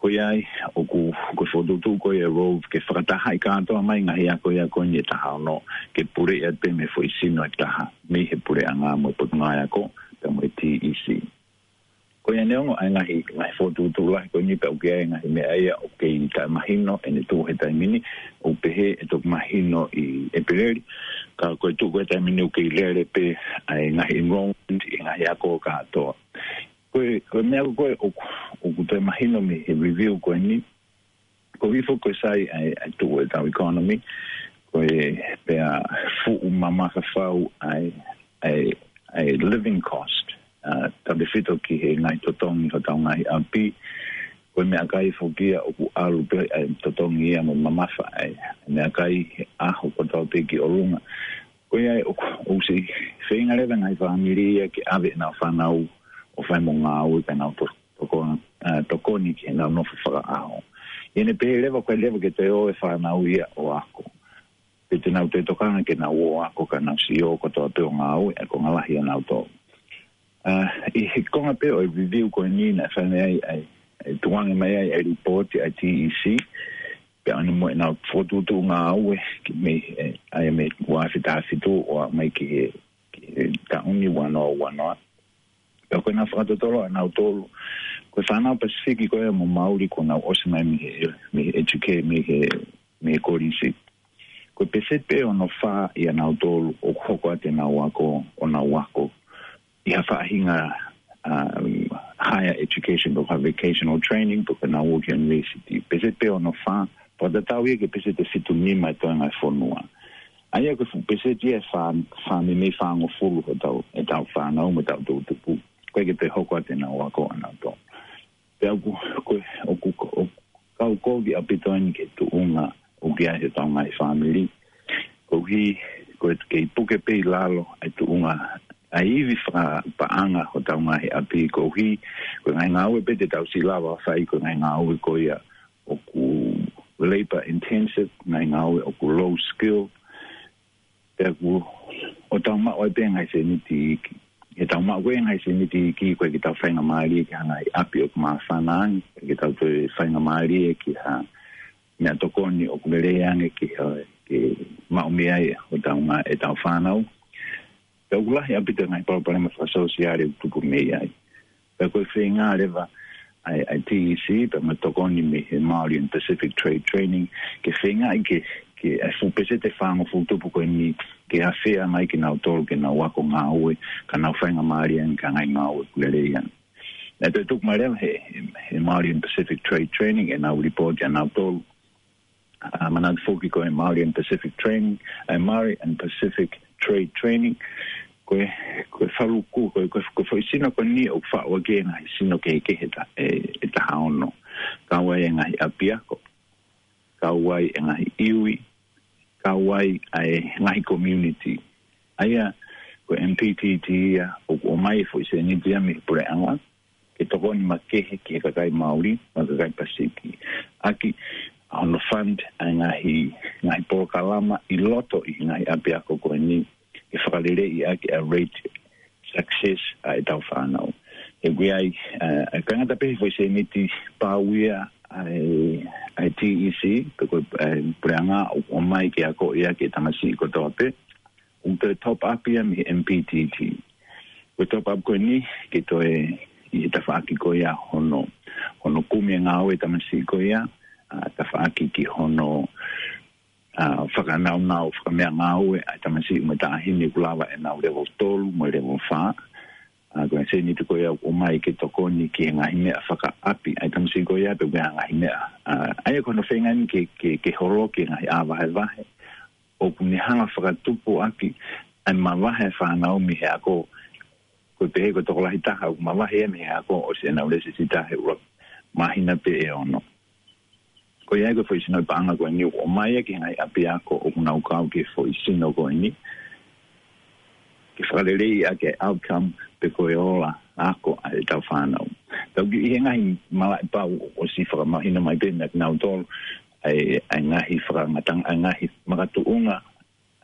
Ko ia ai, ʻoku, ko e fokotuʻutuʻu ko ia ʻa e Rove ke fakatahaʻi kātoa mai ngaahi ako ia ko eni ʻe taha ono, ke puleʻi atu pē mei he foʻi sino ʻe taha, mei he puleʻanga mo e potungāue ako, pea mo e T E C. Ko ia neongo ʻa e ngaahi, ngaahi fokotuʻutuʻu lahi ko eni pea ʻoku ʻi ai e ngaahi meʻa ia ʻoku kei taʻemahino ʻene tuʻu he taimi ni, ʻoku pehē ʻe toki mahino ʻi ʻEpeleli, ka ko e tuʻu ko ē he taimi ni ʻoku kei lele pē ʻa e ngaahi enrollment ʻi he ngaahi ako kātoa. Ko e, ko e meʻa ko ē ʻoku, ʻoku toe mahino mei he review ko eni, ko e hifo ko ē sai ʻa e, ʻa e tuʻu ʻetau economy, ko e pea fuʻu mamafa fau ʻa e, ʻa e, ʻa e living cost, ʻa, tautefito ki he ngaahi totongi hotau ngaahi ʻapi. Ko e meʻakai foki ia ʻoku ʻalu pē ʻa e totongi ia mo mamafa ʻa e meʻakai he ʻaho kotoa pē ki ʻolunga. Ko ia ʻoku, ʻoku siʻi feinga leva e ngaahi fāmili ia ke ʻave ʻenau fānau ʻo fai mo ngāue ka nau to-, toko-, ʻa, tokoni ki heʻenau nofo fakaʻaho. ʻI heʻene pehē leva ko e leva ke toe ō e fānau ia ʻo ako, pe te nau toe tokanga ke nau ō ako ka nau siʻi ō kotoa pē ʻo ngāue, ʻa e konga lahi ʻanautolu. ʻA, ʻi he konga pē ʻo e review ko eni naʻe fai mai ai, ʻa e, ʻa e tukuange mai ai ʻa e lipooti ʻa e T E C, pea ʻalu mo ʻenau fokotuʻutuʻu ngāue ki mei, ʻe, ʻa ia mei he ua afe taha fitu ʻo aʻu mai ki he, ki he taʻu ni ua noa ua noa. Pea ko ʻenau fakatotolo ʻanautolu, ko e fānau Pasifiki ko ia mo Mauli kuo nau ʻosi mai mei he, mei he educate, mei he, mei he kolisi, ko e pēseti pē ʻe ono fā ʻia nautolu ʻoku hoko atu ʻenau ako, ʻo nau ako ʻi ha faʻahinga, um, higher education, pe ko ha vocational training, pe ko ʻenau ō ki university. Pēseti pē ʻe ono fā, fakatatau ia ki he pēseti ʻe fitu nima ʻi he toenga e fonua. ʻA ia ko e fuʻu pēseti ia ʻe fā, fā meimei fāngofulu hotau, ʻetau fānau mo ʻetau toʻutupu, ʻoku ʻikai ke toe hoko atu ʻenau ako ʻanautolu. Pea ʻoku, ko, ʻoku, ʻoku kau kovi ʻaupito eni ki he tuʻunga ʻoku ʻi ai hotau ngaahi fāmili. Koeʻuhi, ko e kei puke pē ʻi lalo ʻa e tuʻunga ʻa e ivi fakapaʻanga hotau ngaahi ʻapi koeʻuhi, ko e ngaahi ngāue pē te tau siʻi lava ʻo fai ko e ngaahi ngāue ko ia ʻoku labor intensive, ngaahi ngāue ʻoku low skill, pea ʻoku ʻo tau maʻu ai pē ngaahi sēniti iiki. He tau maʻu ko ē ngaahi sēniti iiki, ʻoku ʻikai ke tau faingamālie ki ha ngaahi ʻapi ʻoku māfana ange, ʻikai ke tau toe faingamālie ki ha meʻatokoni ʻoku lelei ange ki ha, ke maʻu mei ai hotau ngā-, ʻetau fānau. Pea ʻoku lahi ʻaupito e ngaahi palopalema fakasōsiale ʻoku tupu mei ai. Pea ko e feinga leva ʻa e, ʻa e T E C, pea mo e tokoni mei he Māori and Pacific Trade Training, ke feingaʻi ke, ke ʻa e fuʻu pēseti ʻe fāngofulu tupu ko eni, ke afea mai kinautolu ke nau ako ngāue, ka nau faingamālie ange ki ha ngaahi ngāue ʻoku lelei ange. Naʻe toe tuku mai leva he, he, he Māori and Pacific Trade Training ʻenau lipooti ʻanautolu, ʻa, manatu foki ko e Māori and Pacific Training, ʻa e Māori and Pacific Trade Training, ko e, ko e faluku, ko e, ko e, ko e foʻi sino ko eni ʻoku faʻu ʻaki e ngaahi sino kehekehe ʻe ta-, ʻe, ʻe taha ono. Kau ai e ngaahi ʻapiako, kau ai e ngaahi iwi, kau ai ʻa e ngaahi community. ʻA ia, ko e M P T T ia, ʻoku ʻomai e foʻi sēniti ia mei he puleʻanga, ke tokoni makehe ki he kakai Māori, mo e kakai Pasifiki. ʻAki, ʻa hono fund ʻa e ngaahi, ngaahi polokalama ʻi loto ʻi he ngaahi ʻapiako ko eni, ke fakaleleiʻi ʻaki ʻa e rate success ʻa ʻetau fānau. He ʻoku ʻi ai, ʻa, ʻa e kāinga tapehi foʻi sēniti pau ia ʻa e, ʻa e T E C, pe ko e, ʻa e puleʻanga ʻoku ʻomai ke akoʻi ʻaki e tamasiʻi kotoa pē, ʻoku toe top up ia mei he M P T T. Ko e top up ko eni, ke toe ʻi he tafaʻaki ko ia hono, hono kumi e ngāue e tamasiʻi ko ia, ʻa, tafaʻaki ki hono, ʻa, fakanaunau, fakameʻangāue ʻa e tamasiʻi mo e taʻahine ʻoku lava ʻenau level tolu mo e level fā. ʻA, ko e sēniti ko ia ʻoku ʻomai ke tokoni ki he ngaahi meʻa fakaʻapi ʻa e tamasiʻi ko ia pe ko e ngaahi meʻa. ʻA, ʻa ia ko hono feinga eni ke, ke, ke holoki e ngaahi ʻā vahevahe ʻoku ne hanga fakatupu ʻaki ʻa e mavahe e fānau mei he ako. Ko e pehē ko e tokolahi taha ʻoku mavahe ia mei he ako ʻosi ʻenau lēsisita he ʻuluaki māhina pē ʻe ono. Ko ia ko e foʻi sino paʻanga ko eni ʻoku ʻomai ia ki he ngaahi ʻapiako ʻoku nau kau ki he foʻi sino ko eni, ke fakaleleiʻi ʻaki e outcome pe ko e ola ako ʻa ʻetau fānau. Tau kiʻi ʻi he ngaahi malaʻe pau ʻosi fakamahino mai pē meia kinautolu ʻa e, ʻa e ngaahi fakangatanga, ʻa e ngaahi makatuʻunga,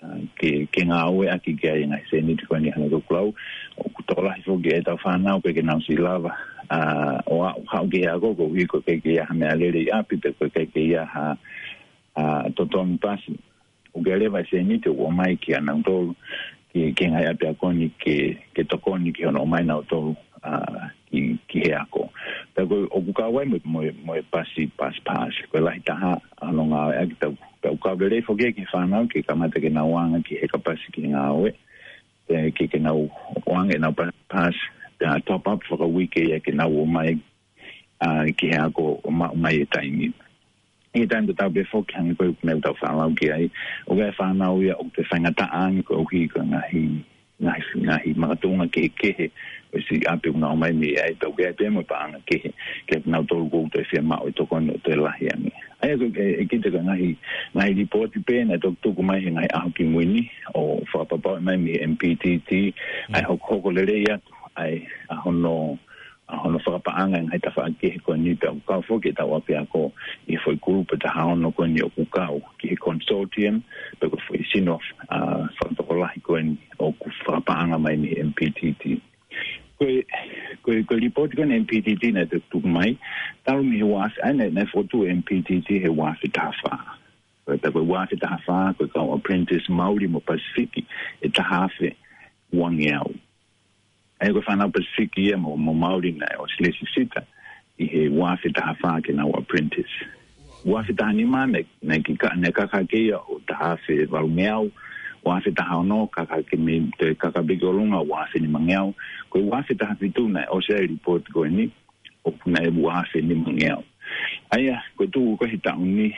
ʻa, ke, ke ngāueʻaki ki ai e ngaahi sēniti ko eni hangē ko ʻeku lau. ʻOku tokolahi foki ʻetau fānau ʻoku ʻikai ke nau siʻi lava, ʻa, ʻo aʻu, haʻu ki he ako koeʻuhi ko e ʻikai ke ʻi ai ha meʻalele ʻi ʻapi pe ko e ʻikai ke ʻi ai ha, ʻa, totongi pasi. ʻOku ʻi ai leva e sēniti ʻoku ʻomai kia nautolu ki, ki he ngaahi ʻapiako ni ke, ke tokoni ki hono ʻomai nautolu, ʻa, ki, ki he ako. Pea ko e, ʻoku kau ai mo, mo, mo e pasi, pass, pass. Ko e lahi taha hono ngāueʻaki, tau, tau kau lelei foki ki he fānau ke kamata ke nau ʻoange ki he kapasi ki he ngāue. Pea ke, ke nau ʻoange ʻenau pass, pass, pea top up fakauike ia ke nau ō mai, ʻa, ki he ako ʻo maʻu mai e taimi. ʻI he taimi tatau pē foki hangē ko e meʻa ʻoku tau fakalau ki ai, ʻoku ʻi ai e fānau ia ʻoku toe faingataʻa ange koeʻuhi ko e ngaahi, ngaahi, ngaahi makatuʻunga kehekehe ʻo e siʻi ʻapi ʻoku nau ō mai mei ai, pea ʻoku ʻi ai pē mo e paʻanga kehe kia kinautolu ʻoku toe fiemaʻu e tokoni ʻo toe lahi ange. ʻA ia ko e, ʻe, ʻe kite ko e ngaahi, ngaahi lipooti pē naʻe toki tuku mai he ngaahi ʻaho kimui ni ʻo fakapapauʻi mai mei he M P T T, ʻa e hokohoko lelei atu ʻa e, ʻa hono, ʻa hono fakapaʻanga e ngaahi tafaʻaki kehe ko eni, pea ʻoku kau foki ʻetau ʻapiako ʻi he foʻi kulupu ʻe taha ono ko eni ʻoku kau ki he consortium, pe ko e foʻi sino, ʻa, fakatokolahi ko eni ʻoku fakapaʻanga mai mei he M P T T. Ko e, ko e, ko e lipooti ko eni M P T T naʻe tuku mai, talu mei he ua afe, ʻa ia naʻe, naʻe fokotuʻu M P T T he ua afe taha fā. Ko e, ko e ua afe taha fā, ko e kau apprentice Mauli mo Pasifiki ʻe taha afe uangeau. ʻA ia ko e fānau Pasifiki ia mo, mo Mauli naʻe ʻosi lēsisita ʻi he ua afe taha fā ke nau apprentice. Ua afe taha nima naʻe, naʻe ki ka-, naʻe kaka hake ia ʻo taha afe valungeau, ua afe taha ono kaka hake mei, toe kaka pē ki ʻolunga, ua afe nimangeau. Ko e ua afe taha fitu naʻe ʻosi ai e lipooti ko eni, ʻoku naʻe ua afe nimangeau. ʻA ia, ko e tuʻu ko ē he taʻu ni,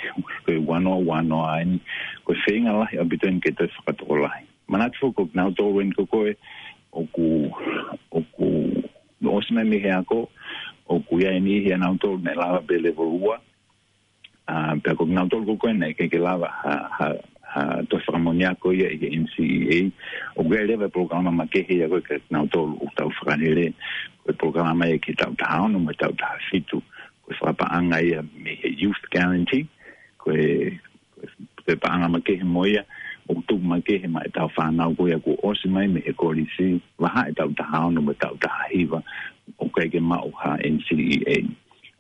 ko e ua noa ua noa eni, ko e feinga lahi ʻaupito eni ke toe fakatokolahi. Manatu foki ko kinautolu eni ko ē ʻoku, ʻoku ʻosi mai mei he ako, ʻoku ʻi ai e niʻihi ʻia nautolu naʻe lava pē level ua, ʻa, pea ko kinautolu ko ē naʻe ʻikai ke lava ha, ha, ha toe fakamoʻoni ako ia ʻi he N C E A. ʻOku ʻi ai leva e polokalama makehe ia ko ē kia kinautolu ʻoku tau fakalele. Ko e polokalama ia ki he taʻu taha ono mo e taʻu taha fitu. Ko e fakapaʻanga ia mei he Youth Guarantee. Ko e, ko e, ko e paʻanga makehe mo ia, ʻoku tuku makehe maʻa ʻetau fānau ko ia kuo ʻosi mai mei he kolisi, vahaʻa e taʻu taha ono mo e taʻu taha hiva, ʻoku ʻikai ke maʻu ha N C E A.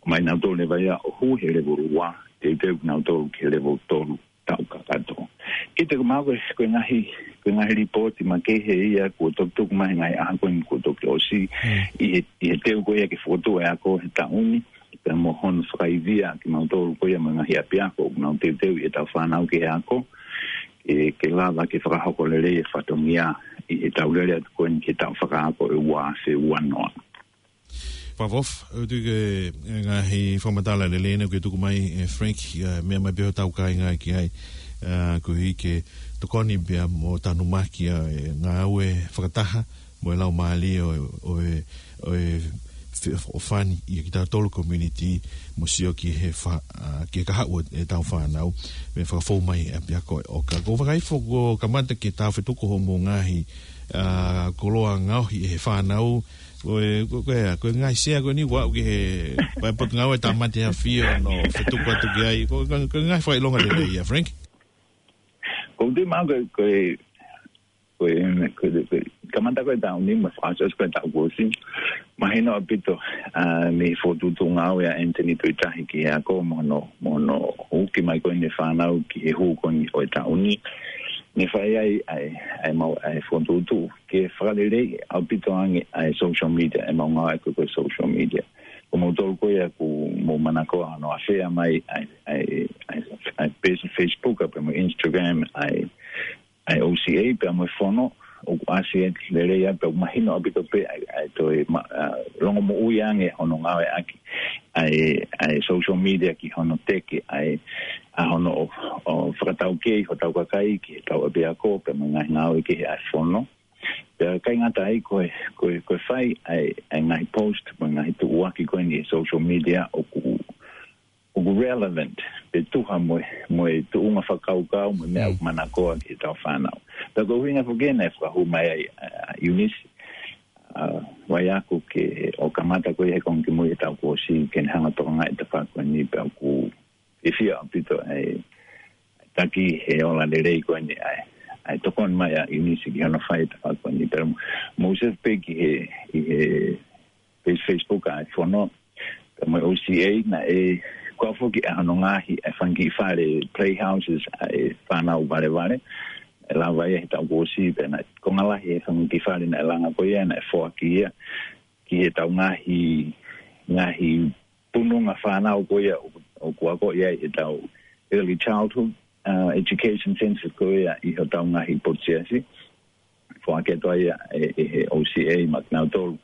ʻOmai nautolu leva ia ʻo hū he level ua, teuteu kinautolu ki he level tolu taʻu kakato. Kiate au ko e, ko e ngaahi, ko e ngaahi lipooti makehe ia kuo toki tuku mai he ngaahi ʻaho ko eni kuo toki ʻosi, ʻi he, ʻi he teu ko ia ke fokotuʻu e ako he taʻu ni, pea mo hono fakaivia kimautolu ko ia mo e ngaahi ʻapiako ʻoku nau teuteu ʻi heʻetau fānau ki he ako, ke, ke lava ke fakahoko lelei e fatongia ʻi heʻetau lele atu ko eni ki he taʻu fakaako ʻe ua afe ua noa. Pavov, ʻoku ou tui ko e ngaahi fakamatala lelei ʻena ʻoku ke tuku mai, ʻe Frank, ʻa, meʻa mai pē hotau kāinga ki ai, ʻa, koeʻuhi ke tokoni pea mo tanumaki ʻa e ngāue fakataha mo e laumālie ʻo, ʻo e, ʻo e fe-, ʻo fani ʻia kitautolu community mo sio ki he fa-, ʻa, ki he kahaʻu ʻo ʻetau fānau, mo e fakafou mai ʻa e ʻapiako ʻo ka. Ko e fakaifo kuo kamata ke tau fetuku hoʻomou ngaahi, ʻa, koloa ngaohi ʻe he fānau, ko e, ko, ko e, ko e ngaahi sea ko eni ʻoku aʻu ki he, ko e Potungāue Tāmate ʻAfio ʻo fetuku atu ki ai. Ko, ko, ko e ngaahi fakaʻilonga lelei ia, Frank? ʻOku ou tui maʻu ko e, ko e, Ko e, ko e, ko e, kamata ko e taʻu ni, mo e fakaʻosiʻosi ko e taʻu kuo ʻosi. Mahino ʻaupito, ʻa, mei he fokotuʻutuʻu ngāue ʻa Anthony Tuʻitahi ki he ako mo hono, mo hono uki mai ko eni e fānau ki he hū ko eni ʻo e taʻu ni. Ne fai ai, ʻa e, ʻa e mau, ʻa e fokotuʻutuʻu ke fakaleleiʻi ʻaupito ange ʻa e social media, ʻa e mau ngāue ko e, ko e social media. Ko moutolu ko ia ʻoku mou manakoa hono ʻave mai ʻa e, ʻa e, ʻa e, ʻa e page Facebook, pea mo e Instagram, ʻa e, ʻa e O C A, pea mo e fono, ʻoku ʻasi ʻe lelei ai, pea ʻoku mahino ʻaupito pē ʻa e, ʻa e toe ma-, ʻa, longomoʻui ange hono ngāueʻaki ʻa e, ʻa e social media ki hono teke ʻa e, ʻa hono ʻo, ʻo fakataukei hotau kakai ki heʻetau ʻapiako, pea mo e ngaahi ngāue kehe ʻa e fono. Pea ʻikai ngata ai ko e, ko e, ko e fai ʻa e, ʻa e ngaahi post, mo e ngaahi tuʻuaki ko eni ʻi he social media ʻoku, ʻoku relevant, pe tuha mo e, mo e tuʻunga fakakaukau, mo e meʻa Mm. ʻoku manakoa ki heʻetau fānau. Pea ko e ʻuhinga foki ena ʻe fakahū mai ai, ʻa, ʻa Eunice, ʻa, ʻoku ʻai ʻaku ke ʻo kamata ko ia he konga kimui he taʻu kuo ʻosi, ke ne hanga ʻo tokangaʻi e tafaʻaki ko eni pea ʻoku fiefia ʻaupito ʻa e taki he ola lelei ko eni ʻa e, ʻa e tokoni mai ʻa Eunice ki hono fai e tafaʻaki ko eni. Pea mou save pē ki he, ʻi he page Facebook ʻa e fono, pea mo e O C A naʻe, ko e foki ʻa hono ngaahi ʻa e fanga kiʻi fale playhouses ʻa e fānau valevale. ʻE lava ia he taʻu kuo ʻosi pea naʻe konga lahi e fanga kiʻi fale naʻe langa ko ia naʻe foaki ia ki heʻetau ngaahi, ngaahi pununga fānau ko ia ʻoku, ʻoku ako ia ʻetau early childhood, uh, education centers ko ia ʻi hotau ngaahi potu siasi. Foaki atu ai ʻe, ʻe he O C A maʻanautolu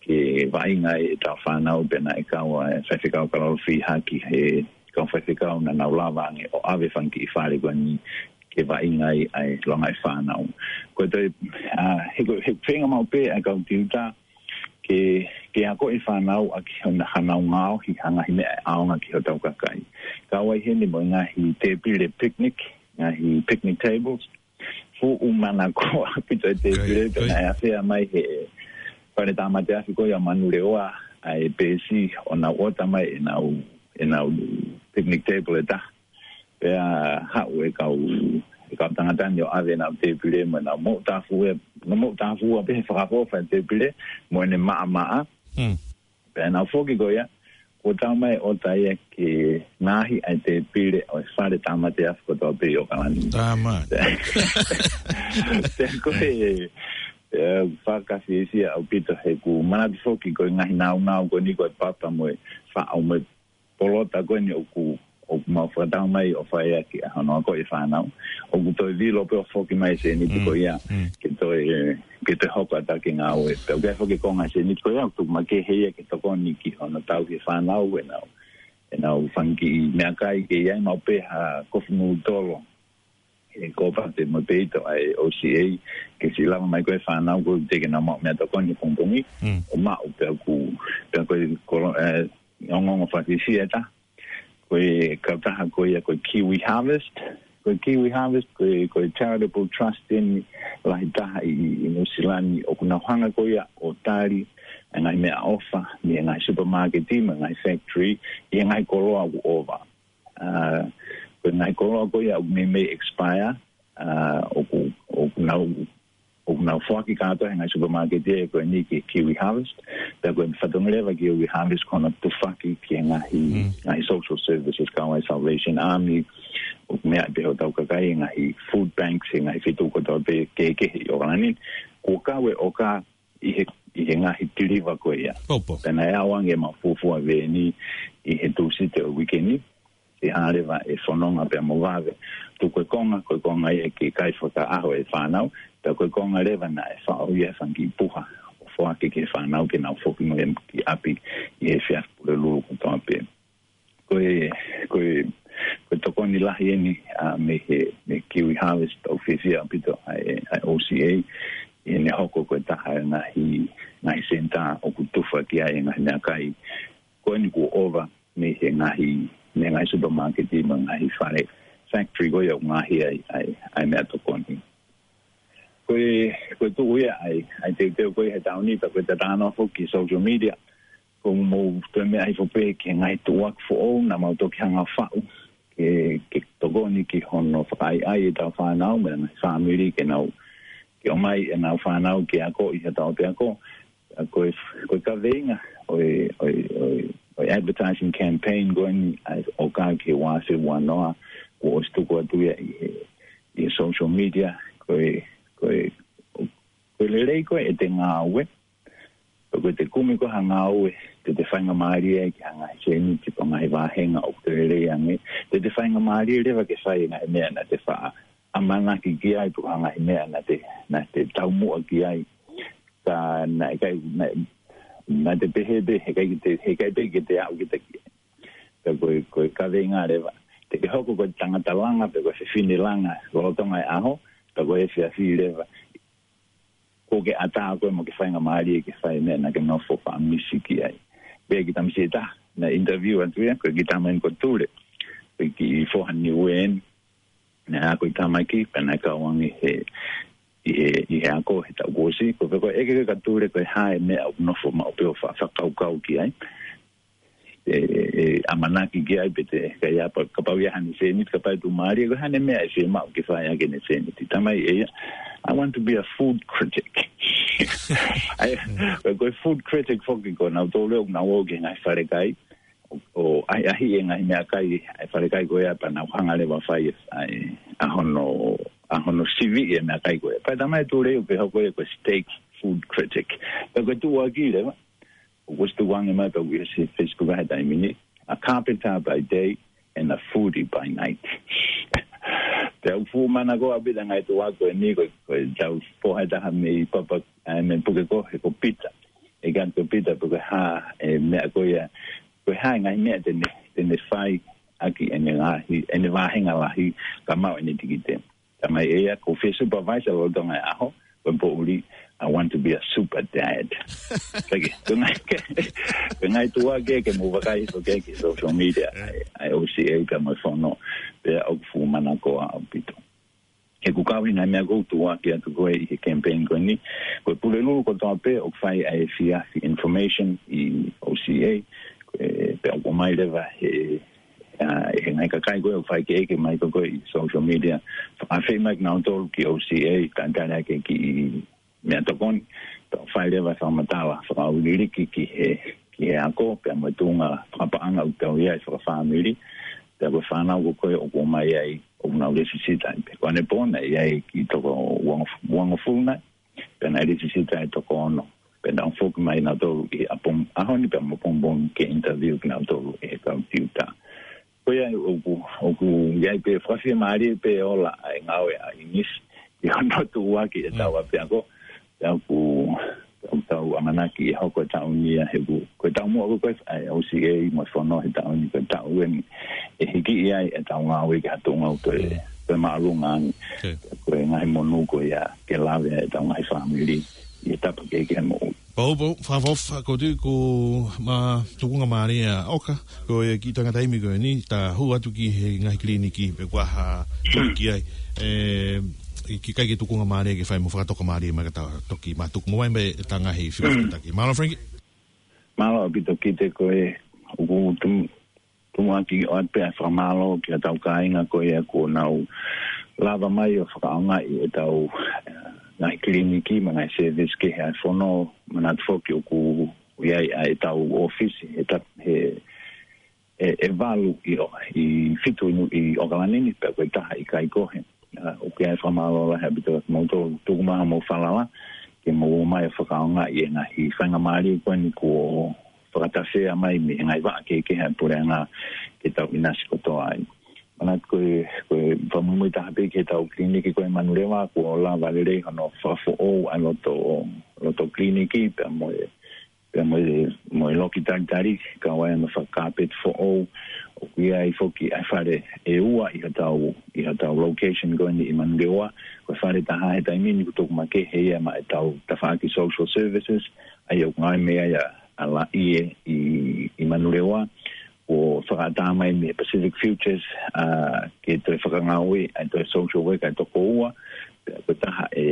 ke vaʻinga ai ʻetau fānau pea naʻe kau ai e faifekau Kalalofi Haki he kau faifekau naʻa nau lava ange ʻo ʻave fanga kiʻi fale ko eni ke vaʻinga ai ʻa e longaʻi fānau. Ko e toe, ʻa, he ko, he feinga maʻu pē ʻa e kau tiuta ke, ke akoʻi e fānau ʻaki hona hanau ngaohi ha ngaahi meʻa ʻe ʻaonga ki hotau kakai. Kau ai heni mo e ngaahi tēpile picnic, ngaahi picnic tables. Fuʻu manakoa ʻaupito e tēpile, Kai, pea kai. naʻe ʻave mai he fale tāmate afi ko ia Manurewa ʻa e peesi ʻo nau ʻota mai ʻenau, ʻenau picnic table ʻe taha. Pea haʻu e kau, e kau tangata ni ʻo ʻave ʻenau tēpile mo ʻenau moʻutāfuʻua, ʻenau moʻutāfuʻua pē he fakaʻofoʻofa e tēpile mo ʻene maʻamaʻa. Hmm. Pea nau foki ko ia, kuo tau mai ʻo ʻai ke ngaohi ʻa e tēpile ʻo e fale tāmate afi kotoa pē ʻi ʻOkalani. Tāmate. Pea ko e, e, fakafiefia ʻaupito he ʻoku manatu foki ko e ngaahi naunau ko eni ko e papa mo e faʻo mo e polota ko eni ʻoku, ʻoku mau fakatau mai ʻo fai ʻaki ʻa hono akoʻi e fānau. ʻOku toe vilo pē ʻo foki mai e sēniti Mm, ko ia, mm. ke toe, ke toe hoko atu ki he ngāue. Pea ʻoku ʻi ai foki e konga e sēniti ko ia, ʻoku tuku makehe ia ke tokoni ki hono tauhi e fānau, ʻenau, ʻenau fanga kiʻi meʻakai ke ʻi ai maʻu pē ha kofu nūtolo. He ko e pā pē mo e peito ʻa e O C A, ke siʻi lava mai ko e fānau ko e teʻeki ke nau maʻu meʻatokoni he pongipongi, Mm. ʻo maʻu pea ʻoku, pea ko e kolo, e, ongoongo fakafiefia ʻe taha. Ko e kautaha ko ia ko e Kiwi Harvest. Ko e Kiwi Harvest, ko e, ko e charitable trust eni lahi taha ʻi, ʻi Nuʻu Sila ni ʻoku nau hanga ko ia ʻo tali e ngaahi meʻaʻofa, mei he ngaahi supermarket, mei he ngaahi factory, ʻi he ngaahi koloa ʻoku ʻova. ʻA, ko e ngaahi koloa ko ia ʻoku meimei expire, ʻa, ʻoku, ʻoku nau, ʻoku nau foaki kātoa he ngaahi supermarket ē ko eni ki he Kiwi Harvest. Pea ko e fatongia leva Kiwi Harvest ko hono tufaki ki he ngaahi, Mm. ngaahi social services kau ai Salvation Army, ʻoku meʻa pē hotau kakai, ngaahi food banks, he ngaahi feituʻu kotoa pē kehekehe ʻi ʻOkalani. Kuo kau e ʻoka ʻi he, ʻi he ngaahi tiliva ko ia. Popo. Pea naʻe ʻaonga e mau fuofua veeni ʻi he Tūsite ʻo e uike ni. Ke hanga leva e fononga pea mo vave. Tuku e konga, ko e konga ia ke kai fakaʻaho e fānau. Pea ko e konga leva naʻe faʻo ia e fanga kiʻi puha ʻo foaki ki he fānau ke nau foki mo ia ki ʻapi ʻi he efiafi Pulelulu kotoa pē. Ko e, ko e, ko e tokoni lahi eni, ʻa, mei he, mei he Kiwi Harvest ʻoku fiefia ʻaupito ʻa e, ʻa e O C A, ʻi heʻene hoko ko e taha e ngaahi, ngaahi senitā ʻoku tufa ki ai e ngaahi meʻakai ko eni kuo ʻova mei he ngaahi, mei he ngaahi supermarket mo e ngaahi fale factory ko ia ʻoku ngaohi ai, ai, ai meʻatokoni. Ko e, ko e tuʻu ia ai, ai teuteu ko ia he taʻu ni, pea ko e tatano foki social media. Ko mou toe meʻa hifo pē ki he ngaahi tuʻuaki foʻou naʻa mau toki hanga faʻu. Ke, ke tokoni ki hono fakaʻaiʻai ʻetau fānau, mo e ngaahi fāmili ke nau, ke ʻomai ʻenau fānau ke ako ʻi hotau ʻapiako. ʻA ko e, ko e kaveinga ʻo e, ʻo e, ʻo e, ʻo e advertising campaign ko eni ʻa e ʻOKA ki he ua afe ua noa, kuo ʻosi tuku atu ia ʻi he, ʻi he social media, ko e, ko e, ko e lelei ko ē ʻete ngāue, ko ʻete kumi ko ē ha ngāue, te te faingamālie ai ki ha ngaahi sēniti pe ngaahi vāhenga ʻoku toe lelei ange, te te faingamālie leva ke fai e ngaahi meʻa naʻa te faʻa ʻamanaki ki ai pe ko ha ngaahi meʻa naʻa te, naʻa te taumuʻa ki ai. Ka naʻe ʻikai, naʻe, naʻa te pehē pē, heʻikai te, heʻikai pē ke te aʻu kita ki ai. Ka ko e, ko e kaveinga leva. Te ke hoko ko e tangata langa pe ko e fefine langa lolotonga e ʻaho, ka ko e efiafi leva, kuo ke ʻatā koe mo ke faingamālie ke fai e meʻa naʻa ke nofo fakamisi ki ai. Pea ki tamasiʻi ʻe taha naʻe interview atu ia, ko e kiʻi tama eni ko Tule, ko e kiʻi foha Niuē eni, naʻe ako ʻi Tamaki, pea naʻe kau ange he, ʻi he, ʻi he ako he taʻu kuo ʻosi, ko e pehē ko ē ʻeke ko ē kia Tule ko e hā e meʻa ʻoku nofo maʻu pē ʻo fa-, fakakaukau ki ai. ʻE, ʻe, ʻe ʻamanaki ki ai pe te, ka ia pa-, kapau ia haʻane sēniti, kapau ʻe tuʻumālie, ko e hā e meʻa ʻe fiemaʻu ke fai ʻaki ʻene sēniti. Talamai ʻe ia, "I want to be a food critic." ʻA ia, ko e food critic foki ko ʻenau tōleo, ʻoku nau ō ki he ngaahi falekai, ʻo, ʻo ʻahiʻahiʻi e ngaahi meʻakai ʻa e falekai ko ia pea nau hanga leva ʻo fai e, ʻa e, ʻa hono, ʻa hono siviʻi e meʻakai ko ia. Pea talamai ʻe Tule ʻoku hoko ia ko e steak food critic. Pea ko e tuʻuaki leva, ʻoku ʻosi tuku ange mai pea ʻoku ʻi he Facebook he taimi ni, "A carpenter by day and a foodie by night." Pea ʻoku fuʻu manakoa ʻaupito e ngaahi tuʻuaki ko eni, ko, ko ʻetau foha ʻe taha mei Papa, ʻa, mei Pukekohe ko Pita. ʻE kani ko Pita pe ko e hā e meʻa ko ia, ko e hā e ngaahi meʻa te ne, te ne fai ʻaki ʻene ngaahi, ʻene vāhenga lahi ka maʻu ʻene tikite. Talamai ʻe ia, "Ko e fie supervise lolotonga e ʻaho, ko e poʻuli, I want to be a super dad." Pea ke, ko e ngaahi ke, ko e ngaahi tuʻuaki ke mou vakai hifo ki he social media, ʻa e, ʻa e O C A pea mo e fono, pea ʻoku fuʻu manakoa ʻaupito. He ʻoku kau ʻi he ngaahi meʻa ʻoku tuʻuaki atu ko ē ʻi he campaign ko eni, ko e Pulelulu kotoa pē ʻoku fai ʻa e efiafi information ʻi O C A, ko e, pea ʻoku ʻomai leva he, ʻa, he ngaahi kakai ko ē ʻoku fai ke ʻeke mai ko ē ʻi social media, fakaafeʻi mai kinautolu ki O C A, talitali ʻaki e kiʻi meʻatokoni, pea ʻoku fai leva e fakamatala fakaʻauliliki ki he, ki he ako, pea mo e tuʻunga fakapaʻanga ʻoku tau ʻi ai fakafāmili, pea ko e fānau ko ē ʻoku ʻomai ai, ʻoku nau lēsisita ai pē. Ko ʻanepō naʻe ʻi ai e kiʻi toko uangof-, uangofulu nai, pea naʻe lēsisita e toko ono. Pea nau foki mai nautolu ʻi he ʻapo-, ʻaho ni pea mo ʻapongipongi ke interview kinautolu ʻe he kau tiuta. Ko ia ʻoku, ʻoku ʻi ai pē fakafiemālie pē ola ʻa e ngāue ʻa ʻIngisi, ʻi hono tuʻuaki ʻetau ʻapiako, pea ʻoku, ʻoku tau ʻamanaki ʻe hoko e taʻu ni ia he ʻoku, ko e taumuʻa ko ē ʻa e O C A mo e fono he taʻu ni ko e taʻu eni ʻe hiki ai ʻetau ngāue ki ha tuʻunga ʻoku toe, toe māʻolunga ange. Ko e ngaahi monū ko ia ke lave ai ʻetau ngaahi fāmili ʻi he tapa kehekehe moʻui. Pau, pau, fakaʻofoʻofa, ko tui ko ma tukunga mālie ʻa ʻOka, ko e kiʻi tangata imi ko eni, ta hū atu ki he ngaahi kiliniki, pe ko e hā tuku ki ai, ʻe, ʻikai ke tukunga mālie ke fai mo fakatoka mālie mai ka ta toki ma tuku mo mai mai ta ngaahi fika taki. Mālō Frankie. Mālō ʻaupito Kite, ko e ʻoku tumu, tumuʻaki ʻoatu pē ʻa e fakamālō ki hotau kāinga ko ia kuo nau lava mai ʻo fakaʻaongaʻi ʻetau, eh, ngaahi kiliniki mo e ngaahi service kehe ʻa e fono, manatu foki ʻoku ʻi ai ʻa ʻetau ʻōfisi he ta-, he, ʻe, ʻe valu ʻi ʻo, ʻi fitu ʻi Nu-, ʻi ʻOkalani ni, pea ko e taha ʻi Kaikohe. ʻA, ʻoku ʻi ai e fakamālō lahi ʻaupito kiate kimoutolu, tuku mai haʻamou falala, ke mou ō mai ʻo fakaʻaongaʻi e ngaahi faingamālie ko eni kuo fakatafea mai mei he ngaahi vaʻa kehekehe ʻa e puleʻanga ke tau ʻinasi kotoa ai. Manatu ko e, ko e fakamuimui taha pē ki heʻetau kiliniki ko ē ʻi Manurewa, kuo lava lelei hono fakafoʻou ʻa e loto, loto kiliniki, pea mo e pea mo e, mo e loki talitali, kau ai hono fakakāpeti foʻou, ʻoku ʻi ai foki ʻa e fale ʻe ua ʻi hotau, ʻi hotau location ko eni ʻi Manurewa, ko e fale ʻe taha he taimi ni kuo tuku makehe ia maʻa ʻetau tafaʻaki social services, ʻa ia ʻoku ngāue mei ai ʻa, ʻa Laʻie ʻi, ʻi Manurewa, kuo fakaʻatā mai mei he Pacific Futures, ʻa, ke toe fakangāueʻi ʻa e toe social worker ʻe toko ua, pea ko e taha ʻe,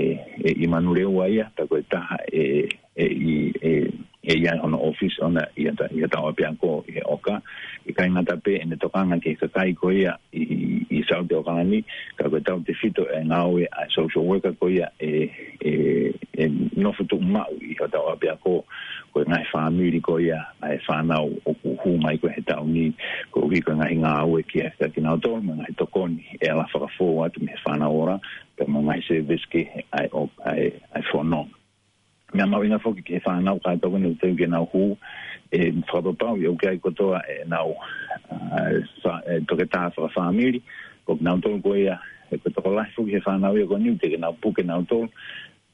ʻe ʻi Manurewa ia, pea ko e taha ʻe, ʻe ʻi, ʻe, ʻe ʻi ai hono ʻōfisi ʻoʻona ʻi hotau, ʻi hotau ʻapiako ʻi he ʻoka. ʻIkai ngata pē ʻene tokanga ki he kakai ko ia ʻi, ʻi South ʻAokalani, ka ko e tautefito e ngāue ʻa e social worker ko ia ʻe, ʻe, ʻe nofo tuʻumaʻu ʻi hotau ʻapiako, ko e ngaahi fāmili ko ia ʻa e fānau ʻoku hū mai ko ē he taʻu ni, koeʻuhi ko e ngaahi ngāue ki he, kia kinautolu, mo e ngaahi tokoni ʻe ala fakafou atu mei he Fānau Ola, pea mo e ngaahi service kehe ʻa e, ʻa e, ʻa e fono. Meʻa mahuʻinga foki ki he fānau kātoa ko eni ʻoku teu ke nau hū, ʻe fakapapauʻi ʻoku ʻi ai kotoa ʻenau, ʻa, fa-, ʻe, toketā fakafāmili, ko kinautolu ko ia, ʻe, ko e tokolahi foki he fānau ia ko eni ʻoku teʻeki ke nau puke nautolu,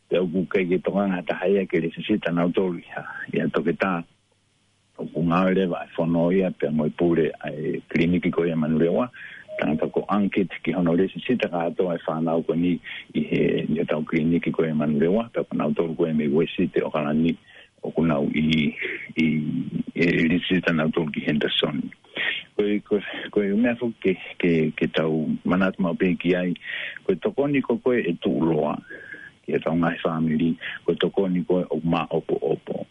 pea ʻoku ʻikai ke tokanga ha taha ia ke lēsisita nautolu ʻi ha, ʻi ha toketā. ʻOku ngāue leva ʻa e fono ia pea mo e pule ʻa e kiliniki ko ia ʻi Manurewa, tangata ko Ankit ki hono lēsisita kātoa e fānau ko eni ʻi he, ʻi hotau kiliniki ko ia ʻi Manurewa, pea ko nautolu ko ia mei Uēsite ʻAokalani ʻoku nau ʻi, ʻi, ʻe lēsisita nautolu ki Henderson. Ko e, ko e, ko e meʻa foki ke, ke, ke tau manatu maʻu pē ki ai, ko e tokoni ko ē ʻe tuʻuloa ki hotau ngaahi fāmili, ko e tokoni ko ē ʻoku māʻopoʻopo.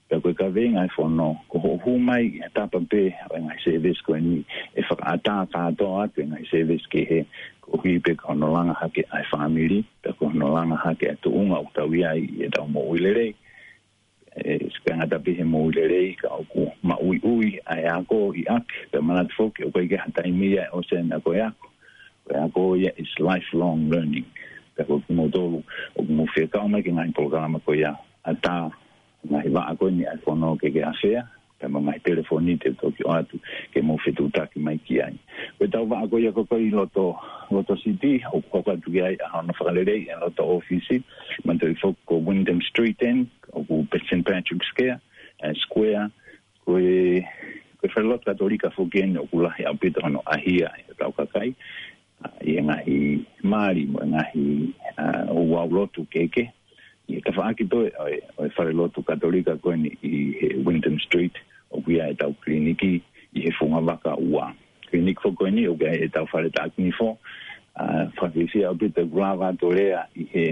Pea ko e kaveinga ʻa e fono, ko hoʻo hū mai ʻi ha tapa pē ʻo e ngaahi service ko eni, ʻe fakaʻatā kātoa atu e ngaahi service kehe, koeʻuhi pē ko hono langa hake ʻa e fāmili, pea ko hono langa hake ʻa e tuʻunga ʻoku tau ʻi ai ʻi heʻetau moʻui lelei. ʻE, ʻikai ngata pē he moʻui lelei, ka ʻoku maʻuiʻui ʻa e ako ʻi ʻapi, pea manatu foki, ʻoku ʻikai ke ʻi ai ha taimi ia ʻe ʻosi ʻa e ako ʻi ʻapi. Ko e ako ia is lifelong learning. Pea ko kimoutolu ʻoku mou fie kau mai ki he ngaahi polokalama ko ia, ʻatā ngaahi vaʻa ko eni ʻa e fono ke ke ʻafea, pea mo e ngaahi telefoni te u toki ʻoatu ke mou fetuʻutaki mai ki ai. Ko ʻetau vaʻa ko ia ko ē ʻi loto, loto City, ʻoku hoko atu ki ai ʻa hono fakalelei ʻi loto ʻōfisi, manatuʻi foki ko Wyndham Street eni, ʻoku Saint Patrick Square, ʻa e Square, ko e, ko e falelotu Katolika foki eni ʻoku lahi ʻaupito hono ʻahia ʻe hotau kakai, ʻa, ʻi he ngaahi mali mo e ngaahi, ʻa, ouau lotu kehekehe. ʻI he tafaʻaki toe ʻo e, ʻo e falelotu Katolika ko eni ʻi he Wyndham Street, ʻoku ʻi ai ʻetau kiliniki ʻi he fungavaka ua. Kiliniki foki ko eni ʻoku ʻi ai ʻetau fale taʻaki nifo, ʻa, fakafiefia ʻaupito ʻeku lava atu ʻo lea ʻi he,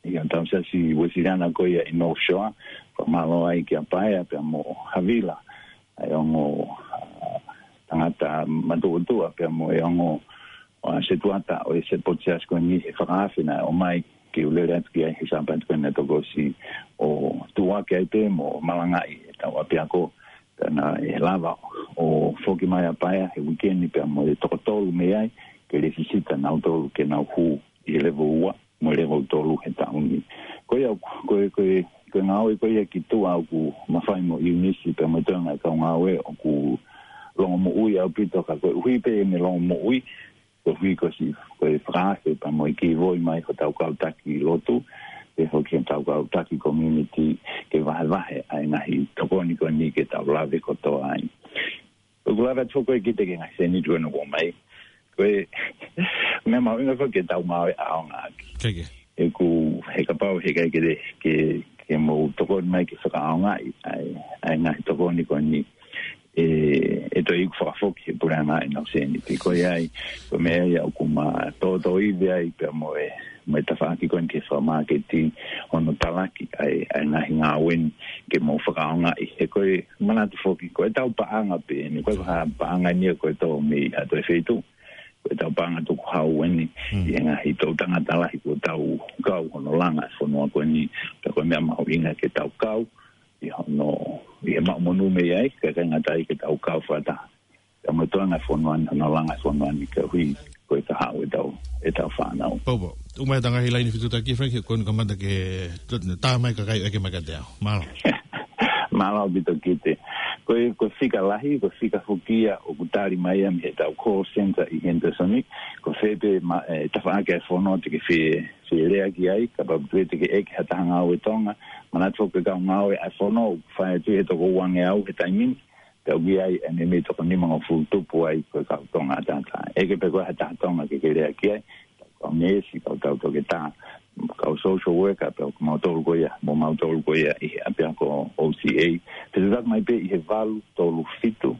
ʻi hotau siasi Uēsiliana ko ia ʻi North Shore, fakamālō ai kia Paea pea mo Havila, ʻa e ongo, ʻa, tangata matuʻotuʻa pea mo e ongo, ʻa, setuata ʻo e sepotu siasi ko eni he fakaafe naʻe ʻomai ke u lele atu ki ai he Sāpate ko eni naʻe toki ʻosi ʻo tuʻuaki ai pē mo malangaʻi ʻetau ʻapiako. Pea naʻe lava ʻo foki mai ʻa Paea he uike ni pea mo e toko tolu mei ai, ke lēsisita nautolu ke nau hū ʻi he level ua mo e level tolu he taʻu ni. Ko ia, ko e, ko e, ko e ngāue ko ia ki tuʻa ʻoku mafai mo ʻIunisi pea mo e toenga e kau ngāue ʻoku longomoʻui ʻaupito ka koeʻuhi pē ʻene longomoʻui, koeʻuhi ko si, ko e fakaafe pea mo e kei voi mai hotau kau taki lotu, pea foki hotau kau taki community ke vahevahe ʻa e ngaahi tokoni ko eni ke tau lave kotoa ai. ʻOku lava atu foki ʻo kiʻi teke ngaahi sēniti ko ena ʻoku ʻomai. Ko e meʻa mahuʻinga foki ke tau ngāue ʻaonga ʻaki. Keke. ʻOku, he kapau he ʻikai ke, ke, ke mou tokoni mai ke fakaʻaongaʻi ʻa e, ʻa e ngaahi tokoni ko eni, ʻe, ʻe toe iku fakafoki he puleʻanga ʻenau sēniti. Ko ia ai, ko e meʻa ia ʻoku ma tōtōivi ai pea mo e, mo e tafaʻaki ko eni ke fakamāketi hono talaki ʻa e, ʻa e ngaahi ngāue ni ke mou fakaʻaongaʻi. He ko e manatu foki, ko ʻetau paʻanga pē eni, ko e paʻanga eni ia ko e tō mei ha toe feituʻu. Ko ʻetau paʻanga tukuhau eni, ʻi he ngaahi toʻutangata lahi kuo tau kau hono langa e fonua ko eni, pea ko e meʻa mahuʻinga ke tau kau ʻi hono, ʻi he maʻu monū mei ai, kae ʻikai ngata ai ke tau kau fakataha pea mo e toenga e fonua ni, hono langa e fonua ni koeʻuhi ko e kahaʻu ʻetau, ʻetau fānau. Poupou. ʻOmai ʻetau ngaahi laine fetuʻutaki, Frank, he ko eni kamata ke tā mai kakai ʻeke mai kiate au. Mālō. Mālō ʻaupito Kite. Ko e, ko e fika lahi, ko e fika foki ia ʻoku tali mai ia mei heʻetau call center ʻi Henderson ni, ko fē pē ma-, e, tafaʻaki ʻa e fono te ke fie, fie lea ki ai, kapau te ke ʻeke ha taha ngāue Tonga, manatu foki ko e kau ngāue ʻa e fono ʻoku fai atu he toko uangeau he taimi ni, pea ʻoku ʻi ai e meimei toko nimangofulu tupu ai ko e kau Tonga ʻataʻatā. ʻEke pē koe ha taha Tonga ke ke lea ki ai, kau neesi, kau tautoketā, kau social worker, pea ko mautolu ko ia, mo mautolu ko ia ʻi he ʻapiako O C A. Fetuʻutaki mai pē ʻi he valu tolu fitu,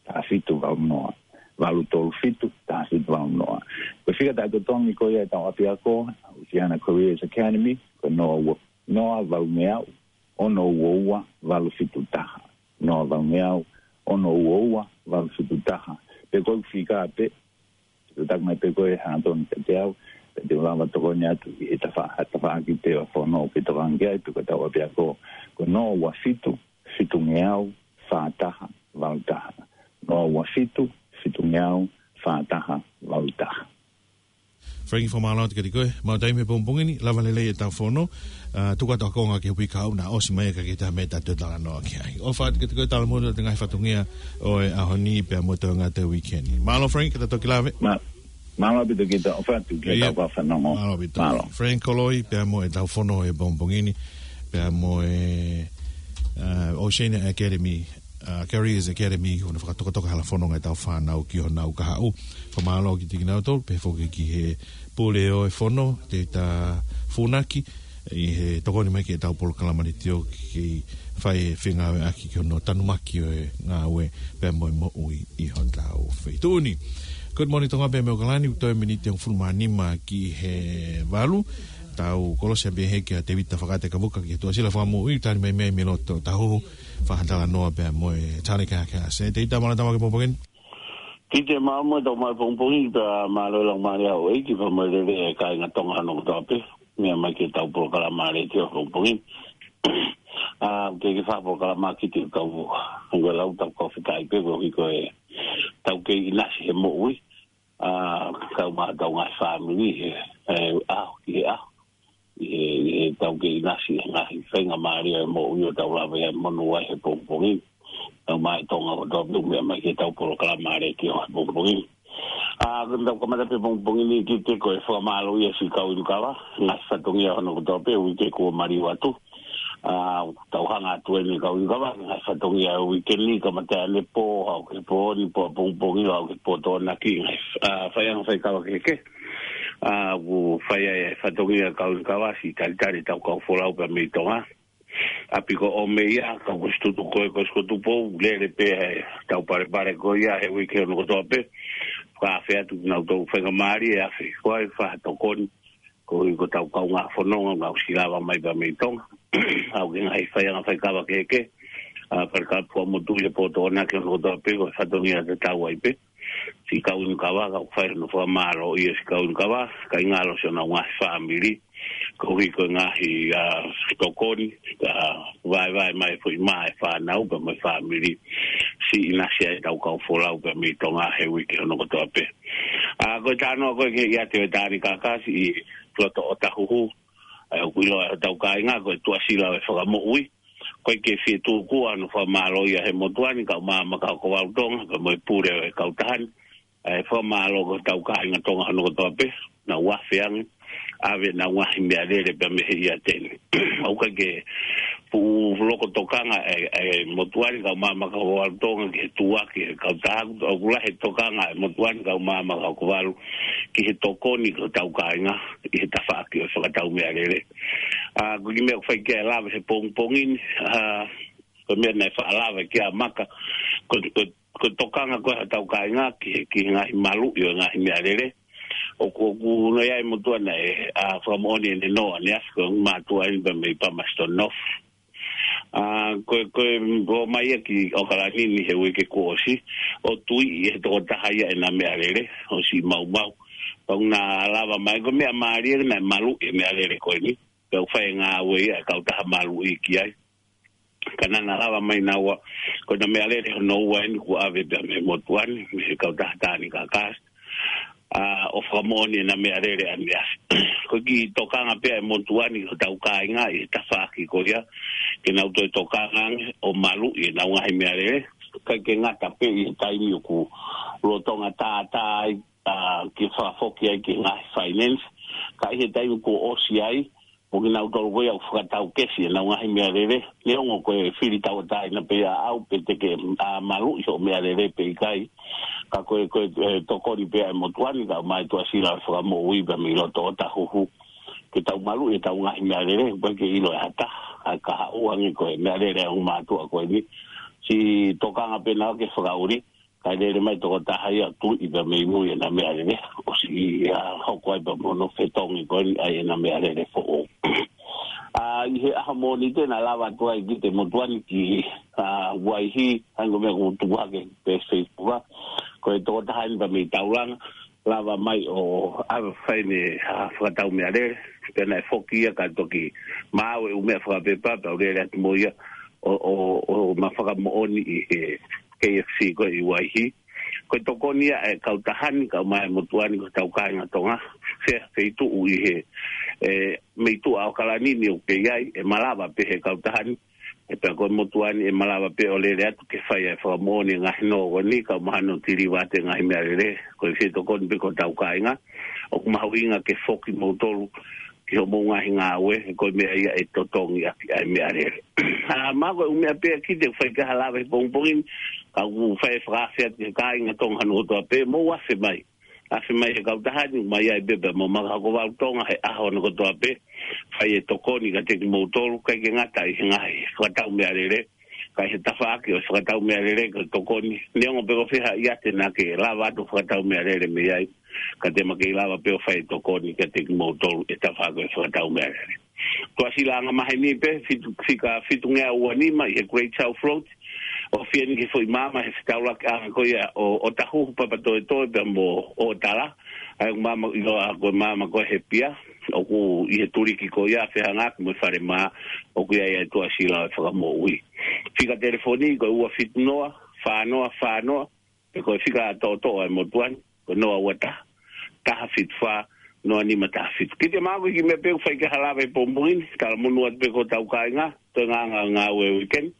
taha fitu valu noa. Valu tolu fitu, taha fitu valu noa. Ko e fika taʻetotongi ko ia ʻetau ʻapiako, Oceania Careers Academy, ko e noa ua, noa valu ngeau, ono ua ua valu fitu taha. Noa valungeau, ono ua ua valu fitu taha. Pe ko e fika pē, te u taki mai pē ko e hangatonu kiate au, pea te u lava tokoni atu ʻi he tafa-, tafaʻaki pē ʻo e fono ʻoku ke tokanga ki ai, pe ko e tau ʻapiako, ko e noa ua fitu, fitungeau, fā taha, valu taha. Noa ua fitu, fitungeau, fā taha, valu taha. Frank, fakamālō atu kiate koe, mau taimi he pongipongi ni, lava lelei e tau fono, ʻa, tuku atu ʻa e konga ki he uike kahaʻu naʻa ʻosi mai ka ke tā me ta te talanoa ki ai. ʻOfa atu kiate koe, talamonū atu ngaahi fatongia ʻo e ʻaho ni pea mo e toenga ʻo e uike ni. Mālō Frank, ka ta toki lave. Ma-, mālō ʻaupito kita, ʻofa atu ki he tau fanongo. Mālō ʻaupito. Mālō. Frank Koloi, pea mo e tau fono he pongipongi ni, pea mo e, ʻa, Oceania Academy, ʻa, Careers Academy, ʻo ne fakatokatoka hala fono ngaahi tau fānau ki honau kahaʻu. Fakamālō kiate kinautolu, pehē foki ki he pule ʻo e fono, te ta funaki, ʻi he tokoni mai ki he tau polokalama ni tio ki, ki fai e fengāueʻaki ki hono tanumaki ʻo e ngāue pea mo e moʻui ʻi hotau feituʻu ni. Good morning, Tonga pea mo ʻAokalani, ʻoku toe miniti ʻe hongofulu mā nima ki he valu. Tau kolosi ʻapi he kia Tevita Fakate Kavuka ki he Tuʻasila Fakamoʻui, tali mai mei Miloto Tahuhu, fakatalanoa pea mo e tali ka ka se. Tevita, mālō tama ke pongipongi ni. Tite, mālō mo e tau mai pongipongi, pea mālō e laumālie ʻa houʻeiki pea mo e lelei e kāinga Tonga hono kotoa pē. Meʻa mai ki he tau polokalama letiō pongipongi ni. ʻA, ke ke fai polokalama ki he kau, ko e lau tau kau fekai pē, ko e hiko e tau kei ʻinasi he moʻui. ʻA, kau mai tau ngaahi fāmili, he, he ʻaho ki he ʻaho. ʻI he, ʻi he tau kei ʻinasi he ngaahi faingamālie ʻo e moʻui ʻo tau lava ia ʻo monū ai he pongipongi ni. Tau mai Tonga ʻo tau meʻa mai ki he tau polokalama letiō he pongipongi ni. ʻA, ko e tau kamata pē pongipongi ni ki he ko e fakamālō ia siʻi kau inu kava, ngaahi fatongia hono kotoa pē, uike kuo maliu atu. ʻA, tau hanga atu eni kau inu kava, ngaahi fatongia uike ni, kamata ʻanepō, haʻu ki he pō ni, pō pongipongi, haʻu ki he pō Tokonaki, ngaahi, ʻa, faiʻanga faikava kehekehe. ʻA, ʻoku fai ai e fatongia kau inu kava, siʻi talitali tau kau folau pea mei Tonga. ʻApi ko ʻOmeia, kau ko Situtu ko ē, ko Situtu Pou, lele pē he tau palepale ko ia, he uike hono kotoa pē. Ka afe atu kinautolu faingamālie, afe ko ai, fakatokoni. Ko i ko tau kaungā fononga, ngāue ʻosi lava mai pea mei Tonga. ʻAu ki he ngaahi faiʻanga faikava kehekehe. ʻA, pale ka pua motu i le pō Tokonaki hono kotoa pē, ko e fatongia tatau ai pē. Siʻi kau inu kava, kau fai hono fakamālō ia siʻi kau inu kava, kae ngalo siʻonau ngaahi fāmili. Ko i ko e ngaahi, ʻa, tokoni, ʻa, vaevae mai foʻi mā e fānau, pea mo e fāmili. Siʻi ʻinasi ai tau kau folau pea mei Tonga he uike hono kotoa pē. ʻA, ko e talanoa ko ē ki he ʻiate ʻo e Tāni Kakasi ʻi Loto ʻo Tahuhu. ʻA, ʻoku ʻiloa ʻe hotau kāinga ko e Tuʻasila ʻo e Fakamoʻui. Ko e ke fie tūkua hono fakamālō ia he motuʻa ni, kau maama ka ko Valu Tonga, pea mo e pule ʻo e kautaha ni. ʻA, fakamālō ki hotau kāinga Tonga hono kotoa pē, naʻa nau afe ange, ʻave ʻenau ngaahi meʻalele pea mei he ʻiate ni. ʻOku ʻikai ke fuʻu loko tokanga e, e motuʻa ni kau maama ka ko Valu Tonga ki he tuʻa ki he kautaha, ʻoku lahi e tokanga e motuʻa ni kau maama ka ko Valu ki he tokoni ki hotau kāinga ʻi he tafaʻaki ʻo e fakatau meʻalele. ʻA, ko e kiʻi meʻa ʻoku fai ki ai e lave he pongipongi ni, ʻa, ko e meʻa naʻe faʻa lave ki ai ʻa Maka, ko, ko, ko e tokanga ko ē hotau kāinga ki he, ki he ngaahi maluʻi ʻo e ngaahi meʻalele. ʻOku, ʻoku nau ʻi ai e motuʻa naʻe, ʻa, fakamoʻoni ʻene noa, ne afi ko e mātuʻa eni pea mei Palmerston North. ʻA, ko e, ko e ō mai ia ki ʻAokalani ni he uike kuo ʻosi, ʻo tuiʻi ʻe he tokotaha ia ʻena meʻalele, ʻo siʻi maumau. Pea ʻoku na lava mai, ko e meʻa mālie naʻe maluʻi e meʻalele ko eni. Pea ʻoku fai e ngāue ia e kautaha maluʻi ki ai. Ka naʻa na lava mai naua, ko ʻena meʻalele hono ua eni kuo ʻave pea mei he motuʻa ni, mei he kautaha Tāni Kakasi. ʻA, ʻo fakamoʻoni ʻena meʻalele ʻaneafi. Ko e kiʻi tokanga pē ʻa e motuʻa ni ki hotau kāinga ʻi he tafaʻaki ko ia, ke nau toe tokanga ange ʻo maluʻi ʻenau ngaahi meʻalele. ʻIkai ke ngata pē ʻi he taimi ʻoku lolotonga tātā ai, ʻa, ke fakafoki ai ki he ngaahi finance. Ka ʻi he taimi kuo ʻosi ai, mo kinautolu ko ia ʻoku fakatau kesi ʻenau ngaahi meʻalele. Neongo ko e fili tauʻatāina pē ʻaʻau pe te ke, ʻa, maluʻi hoʻo meʻalele pe ʻikai. Ka ko e, ko e, e, tokoni pē ʻa e motuʻa ni, kau mai Tuʻasila Fakamoʻui pea mei Loto ʻo Tahuhu. Ke tau maluʻi ʻetau ngaahi meʻalele, ʻoku ʻikai ke ʻilo ʻe ha taha, ʻa e kahaʻu ange ko e meʻalele ʻa e ongo mātuʻa ko eni. Siʻi tokanga pē naua ke fakaʻuli, kae lele mai tokotaha ia ʻo tuiʻi pea mei mui ʻena meʻalele, ʻo siʻi, ʻa, hoko ai pea mo hono fetongi ko eni ʻa ʻena meʻalele foʻou. ʻA, ʻi he ʻaho Mōnite naʻe lava atu ai ki he motuʻa ni ki, ʻa, Vaihi, hangē ko e meʻa kuo tuku hake pē Facebook. Ko e tokotaha eni pea mei Taulanga, lava mai ʻo ʻave fai ʻene, ʻa, fakatau meʻalele, pea naʻe foki ia ka toki maʻu e ʻū meʻa fakapepa, pea u lele atu mo ia ʻo, ʻo, ʻo ma fakamoʻoni ʻi he K F C ko ē ʻi Vaihi. Ko e tokoni ia ʻa e kautaha ni, kau mai motuʻa ni ko hotau kāinga Tonga, fe-, feituʻu ʻi he, ʻe, mei tuʻa ʻAokalani ni ʻoku kei ʻi ai, ʻe malava pē he kautaha ni, ʻe pea ko e motuʻa ni ʻe malava pē ʻo lele atu ke fai ʻa e fakamoʻoni e ngaahi nō ko eni, kau mahalo ʻo tiliva atu e ngaahi meʻalele, ko e fie tokoni pē ko hotau kāinga, ʻoku mahuʻinga ke foki moutolu ki hoʻomou ngaahi ngāue, he ko e meʻa ia ʻe totongi ʻaki ʻa e meʻalele. ʻA, ma ko e ʻū meʻa pē ia ʻoku ou fie fai ki ai ha lave he pongipongi ni, ka ʻoku ou fie fakaafe atu ki he kāinga Tonga hono kotoa pē, mou afe mai. Afe mai he kautaha ni, mai ai pē pea mo Maka Hoko Valu Tonga he ʻaho hono kotoa pē, fai e tokoni kiate kimoutolu, ʻikai ke ngata ʻi he ngaahi fakatau meʻalele, ka ʻi he tafaʻaki ʻo e fakatau meʻalele ko e tokoni. Neongo pe ko fē ha ʻiate naʻa ke lava atu ʻo fakatau meʻalele mei ai, ka te ma kei lava pē ʻo fai e tokoni kiate kimoutolu ʻi he tafaʻaki ʻo e fakatau meʻalele. Tuʻasila angamaheni pē, fitu, fika fitungeau ua nima ʻi he Great South Road, ʻoku fie ni ke foʻi maama he fetaulaki anga ko ia ʻo, ʻo Tahuhu, Papatoetoe pea mo ʻOtala, ʻa e maama ʻiloa ko e maama ko ē he pia, ʻoku ʻi he tuliki ko ia fehangahangai mo e falemā, ʻoku ʻi ai ʻa e tuʻasila ʻo e fakamoʻui. Fika telefoni ko e ua fitu noa, fā noa fā noa, pe ko e fika toʻotoʻo ʻa e motuʻa ni, ko e noa ua taha, taha fitu fā, noa nima taha fitu. Kiate au ko e kiʻi meʻa pē ʻoku ou fie fai ki ai ha lave he pongipongi ni, talamonū atu pē ki hotau kāinga, toe ngāngāngāue weekend,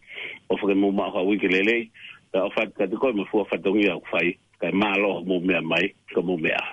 ʻofa ke mou maʻu ha uike lelei, pea ʻofa atu kiate koe mo e fua fatongia ʻoku fai, kae mālō hoʻomou meʻa mai, ka mou meʻa.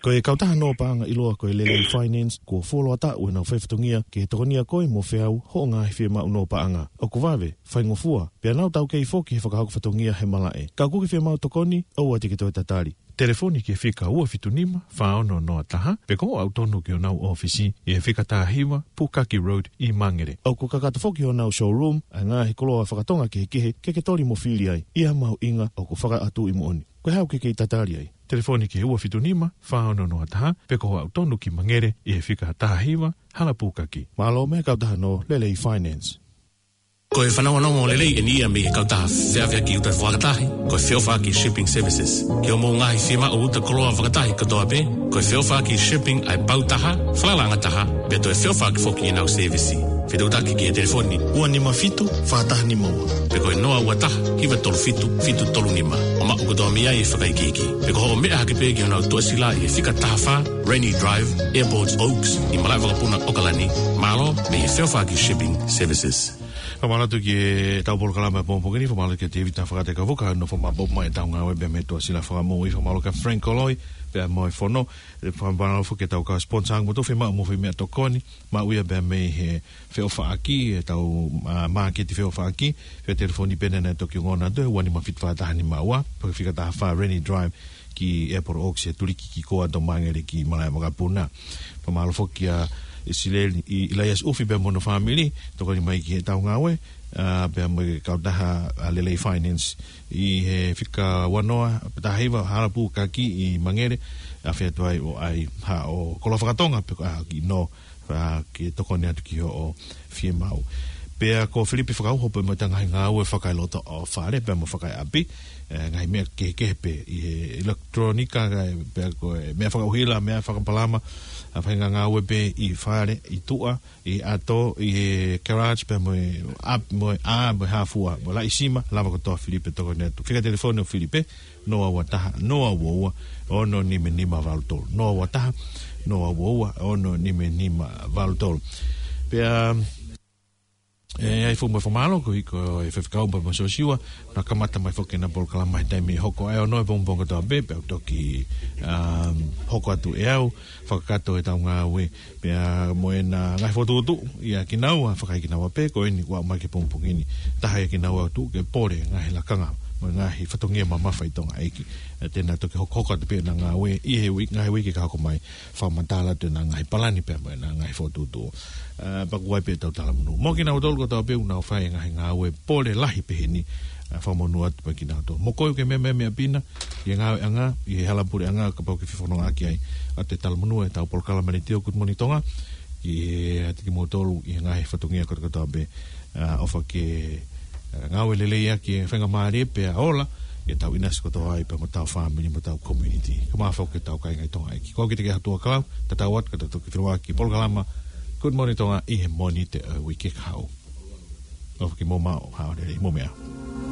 Ko e kautaha nō paʻanga ʻiloa ko e Lelei Finance, kuo fuoloa taʻu ʻenau fai fatongia ke tokonia koe mo feau hoʻo ngaahi fiemaʻu nō paʻanga. ʻOku vave, faingofua, pea nau taukei foki he fakahoko fatongia he malaʻe. Ka ʻoku ke fiemaʻu tokoni, ʻoua te ke toe tatali. Telefoni ki he fika ua fitu nima, fā ono noa taha, pe ko hoʻo aʻu tonu ki honau ʻōfisi ʻi he fika taha hiva, Pukaki Road ʻi Mangere. ʻOku kakato foki honau showroom ʻa e ngaahi koloa fakatonga kehekehe ke ke toli mo fili ai, ʻi ha mahuʻinga ʻoku fakaʻatuʻi moʻoni. Ko e hā ʻoku ke kei tatali ai? Telefoni ki he ua fitu nima, fā ono noa taha, pe ko hoʻo aʻu tonu ki Mangere ʻi he fika taha hiva, Hala Pukaki. Mālō mei he kautaha nō Lelei Finance. Ko e fanongonongo lelei eni ia mei he kautaha feʻaveʻaki uta fakatahi, ko e Feʻofaʻaki Shipping Services. Ki hoʻomou ngaahi fiemaʻu uta koloa fakatahi kotoa pē, ko e Feʻofaʻaki Shipping ʻa e pau taha, falala anga taha, pea toe feʻofaʻaki foki ʻenau sēvisi. Fetuʻutaki ki he telefoni ua nima fitu, fā taha nima ua. Pe ko e noa ua taha, hiva tolu fitu, fitu tolu nima. ʻO maʻu kotoa mei ai e fakaikiiki. Pe ko hoʻo meʻa hake pē ki honau tuʻasila ʻi he fika taha fā, Rennie Drive, Airport Oaks, ʻi Malaʻevakapuna, ʻAokalani. Mālō mei he Feʻofaʻaki Shipping Services. Fakamālō atu ki heʻetau polokalama he pongipongi ni, fakamālō kia Tēvita Fakatekaufuka, nofo maʻu mai ʻetau ngāue pea mei he tuʻasila fakamoʻui, fakamālō kia Frank Koloi, pea mo e fono, ʻe fakamālō foki ki heʻetau kau sponsor, ʻoku mou toe fiemaʻu mo e foʻi meʻatokoni, maʻu ia pea mei he Feʻofaʻaki, ʻetau, ʻa, māketi Feʻofaʻaki, fie telefoni pē naʻe toki ongona atu, ua nima fitu fā taha nima ua, pe ko e fika taha fā Rennie Drive, ki Airport Oaks, ʻi he tuliki ki Koa, Mangere ki Malaʻevakapuna. Fakamālō foki kia Isileli, ʻi, ʻIlaiasi ʻUfi pea mo hono fāmili, tokoni mai ki heʻetau ngāue, ʻa, pea mo e kautaha, ʻa, Lelei Finance, ʻi he fika ua noa taha hiva Hala Pukaki ʻi Mangere, ʻa, fie atu ai ʻo ʻai haʻo koloa fakatonga pe ko ha kiʻi nō, ʻa, ke tokoni atu ki hoʻo fiemaʻu. Pea ko Filipe Fakauho pea mo ʻeta ngaahi ngāue fakaeloto ʻo fale pea mo fakaeʻapi, ʻe, ngaahi meʻa kehekehe pē ʻi he ʻilekitulōnika, kae pea ko e meʻa fakaʻuhila, meʻa fakapalama, ʻa, faʻahinga ngāue pē ʻi fale, ʻi tuʻa, ʻi ʻato, ʻi he garage pea mo e ʻap-, mo e ʻā, mo e hā fua, mo e laʻi sima, lava kotoa Filipe tokoni atu. Fika telefoni ʻo Filipe, noa ua taha, noa ua ua, ono nima nima valu tolu. Noa ua taha, noa ua ua, ono nima nima valu tolu. Pea, ʻe, ʻai foki mo e fakamālō, ko e, ko e faifekau pea mo Siosiua, naʻa kamata mai foki ʻena polokalama he taimi hoko ʻa e ono he pongipongi kotoa pē, pea u toki, um, hoko atu ʻe au, fakakakato ʻetau ngāue, pea mo ʻena ngaahi fokotuʻutuʻu, ʻia kinaua, fakaʻikinaua pē, ko eni kuo aʻu mai ki he pongipongi ni, taha ʻia kinaua ʻoku tuʻu ke pole, ngaahi lakanga, mo e ngaahi fatongia mamafa ʻi Tonga ʻEiki. ʻE, te na toki hokohoko atu pē ʻena ngāue, ʻi he ui-, ngaahi uike ka hoko mai, fakamatala atu ʻena ngaahi palani pea mo ʻena ngaahi fokotuʻutuʻu. ʻE, pea ko ia pē ʻetau talamonū. Mo kinautolu kotoa pē ʻoku nau fai e ngaahi ngāue pole lahi pehē ni, ʻe, fakamonū atu pē kinautolu. Mo koe ʻoku ke meʻa, meʻa, meʻa pina, ʻi he ngāueʻanga, ʻi he hala puleʻanga, kapau ʻoku ke fefonongaʻaki ai. ʻA e talamonū ʻetau polokalama ni Good Morning Tonga. ʻiate kimoutolu ʻi he ngaahi fatongia kotoa kotoa pē, ʻa, ʻofa ke, ʻa, ngāue lelei ʻaki e faingamālie pea ola, ʻetau ʻinasi kotoa ai pea mo ʻetau fāmili mo ʻetau community. Ka mafao ke tau kāinga ʻi Tonga ʻEiki. Ko au Kiteke Hatuʻakalau, tatau atu ka tau toki feʻiloaki polokalama Good Morning Tonga ʻi he Mōnite ʻo e uike kahaʻu. ʻOfa ke mou maʻu ha ʻaho lelei, mou meʻa.